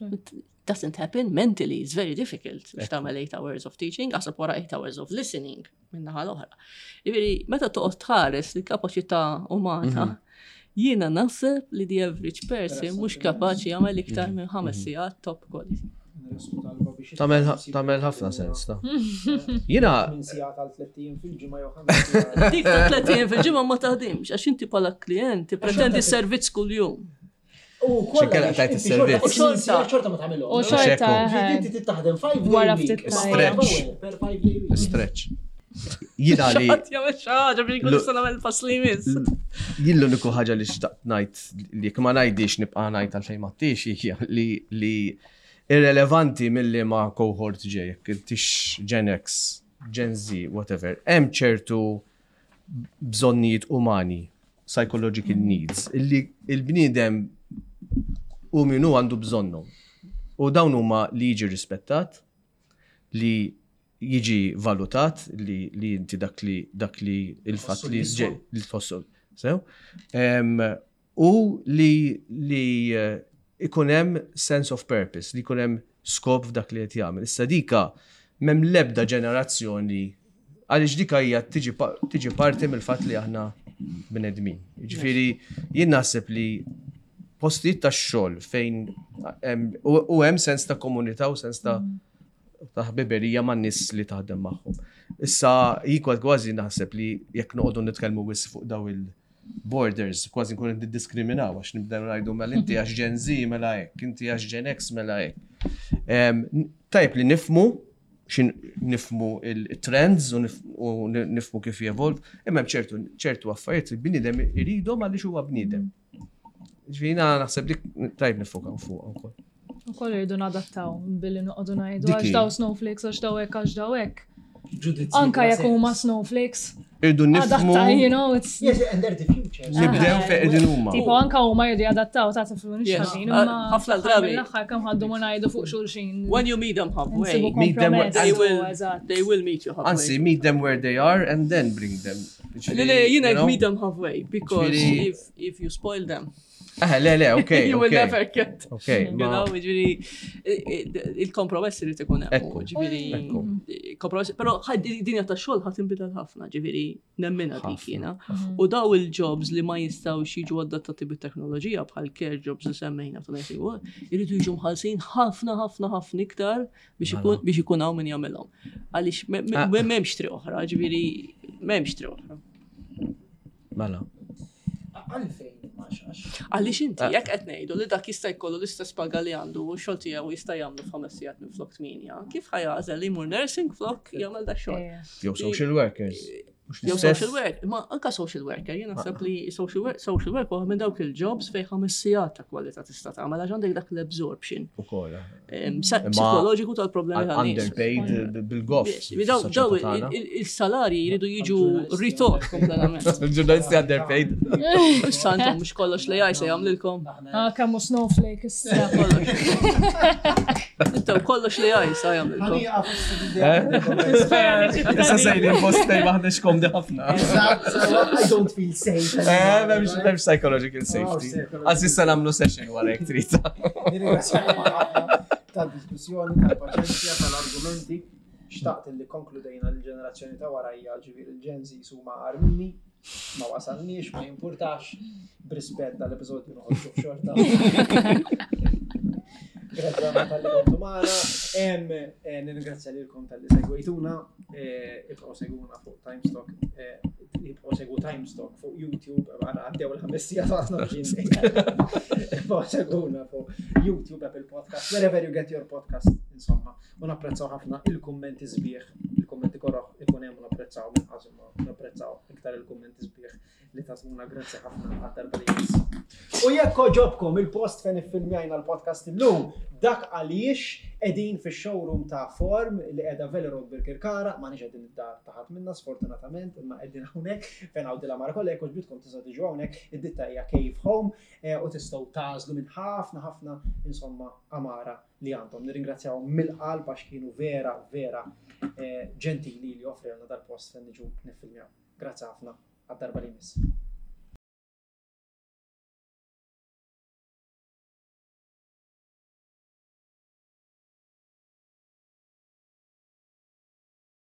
D: It doesn't happen mentally, it's very difficult biex tagħmel eight hours of teaching, aħseb wara eight hours of listening minn naħa l-oħra. Ġifieri, meta toqgħod tħares li kapaċità umana, jiena naħseb li the average person mhux kapaċi jagħmel iktar minn ħames sigħat top quality.
B: Tagħmel tagħmel ħafna sens, ta' Jiena
A: Minn sigħat għal tlett ijiem fil-ġimgħa jew ħames sigħat.
D: Dik ta' tlett ijiem fil-ġimgħa ma taħdimx, għax inti bħala klient tippretendi servizz kuljum.
A: U kollha
B: Xinkella
A: biex
B: tajt
A: inti
B: is-servizz.
A: xorta-
D: U xorta.
A: sigħat xorta ma tagħmilhom.
C: U xorta,
B: Xekku.
C: eħe.
A: Inti titaħdem five day
C: Wara
A: week.
C: ftit
B: Stretch.
A: Per five day week.
B: stretch. Jiena li
D: Xaħat jagħmel xi ħaġa biex jkun nista' nagħmel pass li jmiss.
B: jien l-uniku ħaġa li xtaqt ngħid li jekk ma ngħidix nibqa' ngħid għalfejn ma tix hija li li irrelevanti milli ma cohort ġej, jekk intix Gen X, Gen Z, whatever, hemm ċertu bżonnijiet umani, psychological needs, illi il-bniedem u minu għandu bżonnu. U dawn huma li jiġi rispettat, li jiġi valutat, li, li inti dak li dak li il-fatt li
A: Tħossu li
B: ġej li tħossu sew. Em, U li li eh, ikun hemm sense of purpose, li jkun hemm skop f'dak li qed jagħmel. Issa dika m'hemm l-ebda ġenerazzjoni għaliex dika hija tiġi pa- tiġi parti mill-fatt li aħna bnedmin. Jiġifieri jien naħseb li postijiet ta' xogħol fejn hemm- u u hemm sens ta' komunità u sens ta' ta' ħbiberija man nies li taħdem magħhom. Issa jien kważi naħseb li jekk noqogħdu nitkellmu wisq fuq daw il-borders, kważi nkunu niddiskriminaw għax nibdew ngħidu mela inti għax Gen Z mela hekk, inti għax Gen X mela hekk. Em, Tajb li nifmu xin nifmu il-trends u nif- u nifmu kif jevolv, imma hemm ċertu ċertu affarijiet li bniedem iridhom għaliex huwa bniedem. Ġifieri naħseb li tajb nifokaw fuq ukoll.
C: U koll irridu nadattaw billi noqogħdu ngħidu
B: Dik
C: għax
B: hi.
C: daw snowflakes, għax daw hekk, għax daw hekk.
A: Ġudizzji
C: Anka
A: bla
C: jekk huma
A: sens.
C: snowflakes,
B: Irridu nifmu
C: adatta, you know, it's
A: Yes, and they're the future.
B: nibdew fejn qegħdin huma.
C: Tipo anka huma jridu jadattaw ta' tiflu
D: Yes.
C: nixħażin,
D: Ah,
C: imma
D: ħafna drabi.
C: L-aħħar kemm ħaddu ma ngħidu fuq xulxin.
D: When you meet them halfway,
C: Insibu
B: Meet them where-
C: kompromess,
D: they will,
C: eżatt.
D: they will meet you halfway.
B: Anzi, meet them where they are and then bring them.
D: Le, le, jiena
B: You know?
D: meet them halfway because
B: Ġifieri-
D: if, if you spoil them,
B: Eh, le, le, ok.
D: you will
B: ok.
D: never get.
B: Ok,
D: You
B: ma.
D: know, ġifieri, il-kompromess irid ikun hemm.
B: Ekku.
D: Ġifieri,
B: Ekku.
D: kompromess, però dinja ta' xogħol ħa tinbidel ħafna, ġifieri nemminha dik
B: Ħafna.
D: jiena. U daw il-jobs li ma jistgħux jiġu adattati bit-teknoloġija bħal care jobs li semmejna ta' nursing work, iridu jiġu mħallsin ħafna ħafna ħafna iktar biex ikun biex ikun hawn min jagħmilhom. Għaliex me- me-
B: Ah.
D: m'hemmx triq oħra, ġifieri m'hemmx triq oħra.
B: Mela.
A: Għalfejn ma xax.
D: Għaliex inti,
B: Ah.
D: jekk qed ngħidu li dak jista' jkollu l-istess paga li għandu u x-xogħol tiegħu jista' jagħmlu f'ħames sigħat minn flok tminja, kif ħa jagħżel li jmur nursing flok jagħmel dak xogħol?
C: Eh,
B: Jew social workers. Mhux
D: Jew
B: l-istess?
D: social work, ma anka social worker, jien naħseb li social work, social work huwa minn dawk il-jobs fejn ħames sigħat ta' kwalità tista' tagħmel għax għandek dak l-absorption
B: Ukoll.
D: em, sa-
B: Imma
D: psikoloġiku tal-problemi tan-nies.
B: Underpaid bil-goff.
D: Yes, Daw daw il- il- il-salari jridu jiġu rethought kompletament.
B: Il-ġurnalisti underpaid.
D: Issa intom mhux kollox li se jagħmlilkom.
C: Ah, kemm hu snowflake issa.
D: Kollox. Intom kollox li se jagħmlilkom.
B: Issa sejni postej maħnex komdi ħafna.
A: I don't feel safe.
B: Eh, m'hemmx m'hemmx psychological safety. Għax issa nagħmlu session wara jekk trid.
A: Nirringrazzjakom ħafna tal-diskussjoni, tal-paċenzja, tal-argumenti. Xtaqt li konkludejna l-ġenerazzjoni ta' warajja ġifieri il-Gen Z huma agħar minni, ma wasalniex, ma jimpurtax, b'rispett dal-episodju noħorġu f'xorta. Grazzi ħafna talli kontu magħna. Em, eh, Nirringrazzja lilkom talli segwejtuna, eh, ibqgħu segwuna fuq Timestock, eh, ibqgħu segwu Timestock fuq YouTube, għana għaddew il-ħames sigħat għasna bġin. Ibqgħu segwuna fuq YouTube, Apple Podcast, wherever you get your podcast, insomma. U napprezzaw ħafna il-kummenti sbieħ, il-kummenti korroħ ikun hemm u napprezzaw minn qasma, napprezzaw iktar il-kummenti sbieħ li tatuna grazzi ħafna għad-darba li jmiss. U jekk ġobkom il-post fejn iffilmjajna l-podcast illum, dak għaliex Qegħdin fix-showroom ta' Form li qiegħda Valley Road Birkirkara, ma nix qegħdin id-dar ta' ħadd minna sfortunatament, imma qegħdin hawnhekk fejn hawn dil-għamara kollha jekk għoġbitkom tistgħu tiġu hawnhekk, id-ditta hija Cave Home eh, u tistgħu tagħżlu minn ħafna ħafna insomma għamara li għandhom. Nirringrazzjawhom mill-qalb għax kienu vera vera eh, ġentili li offrewna dal-post fejn niġu niffilmjaw. Grazzi ħafna għad-darba li jmiss.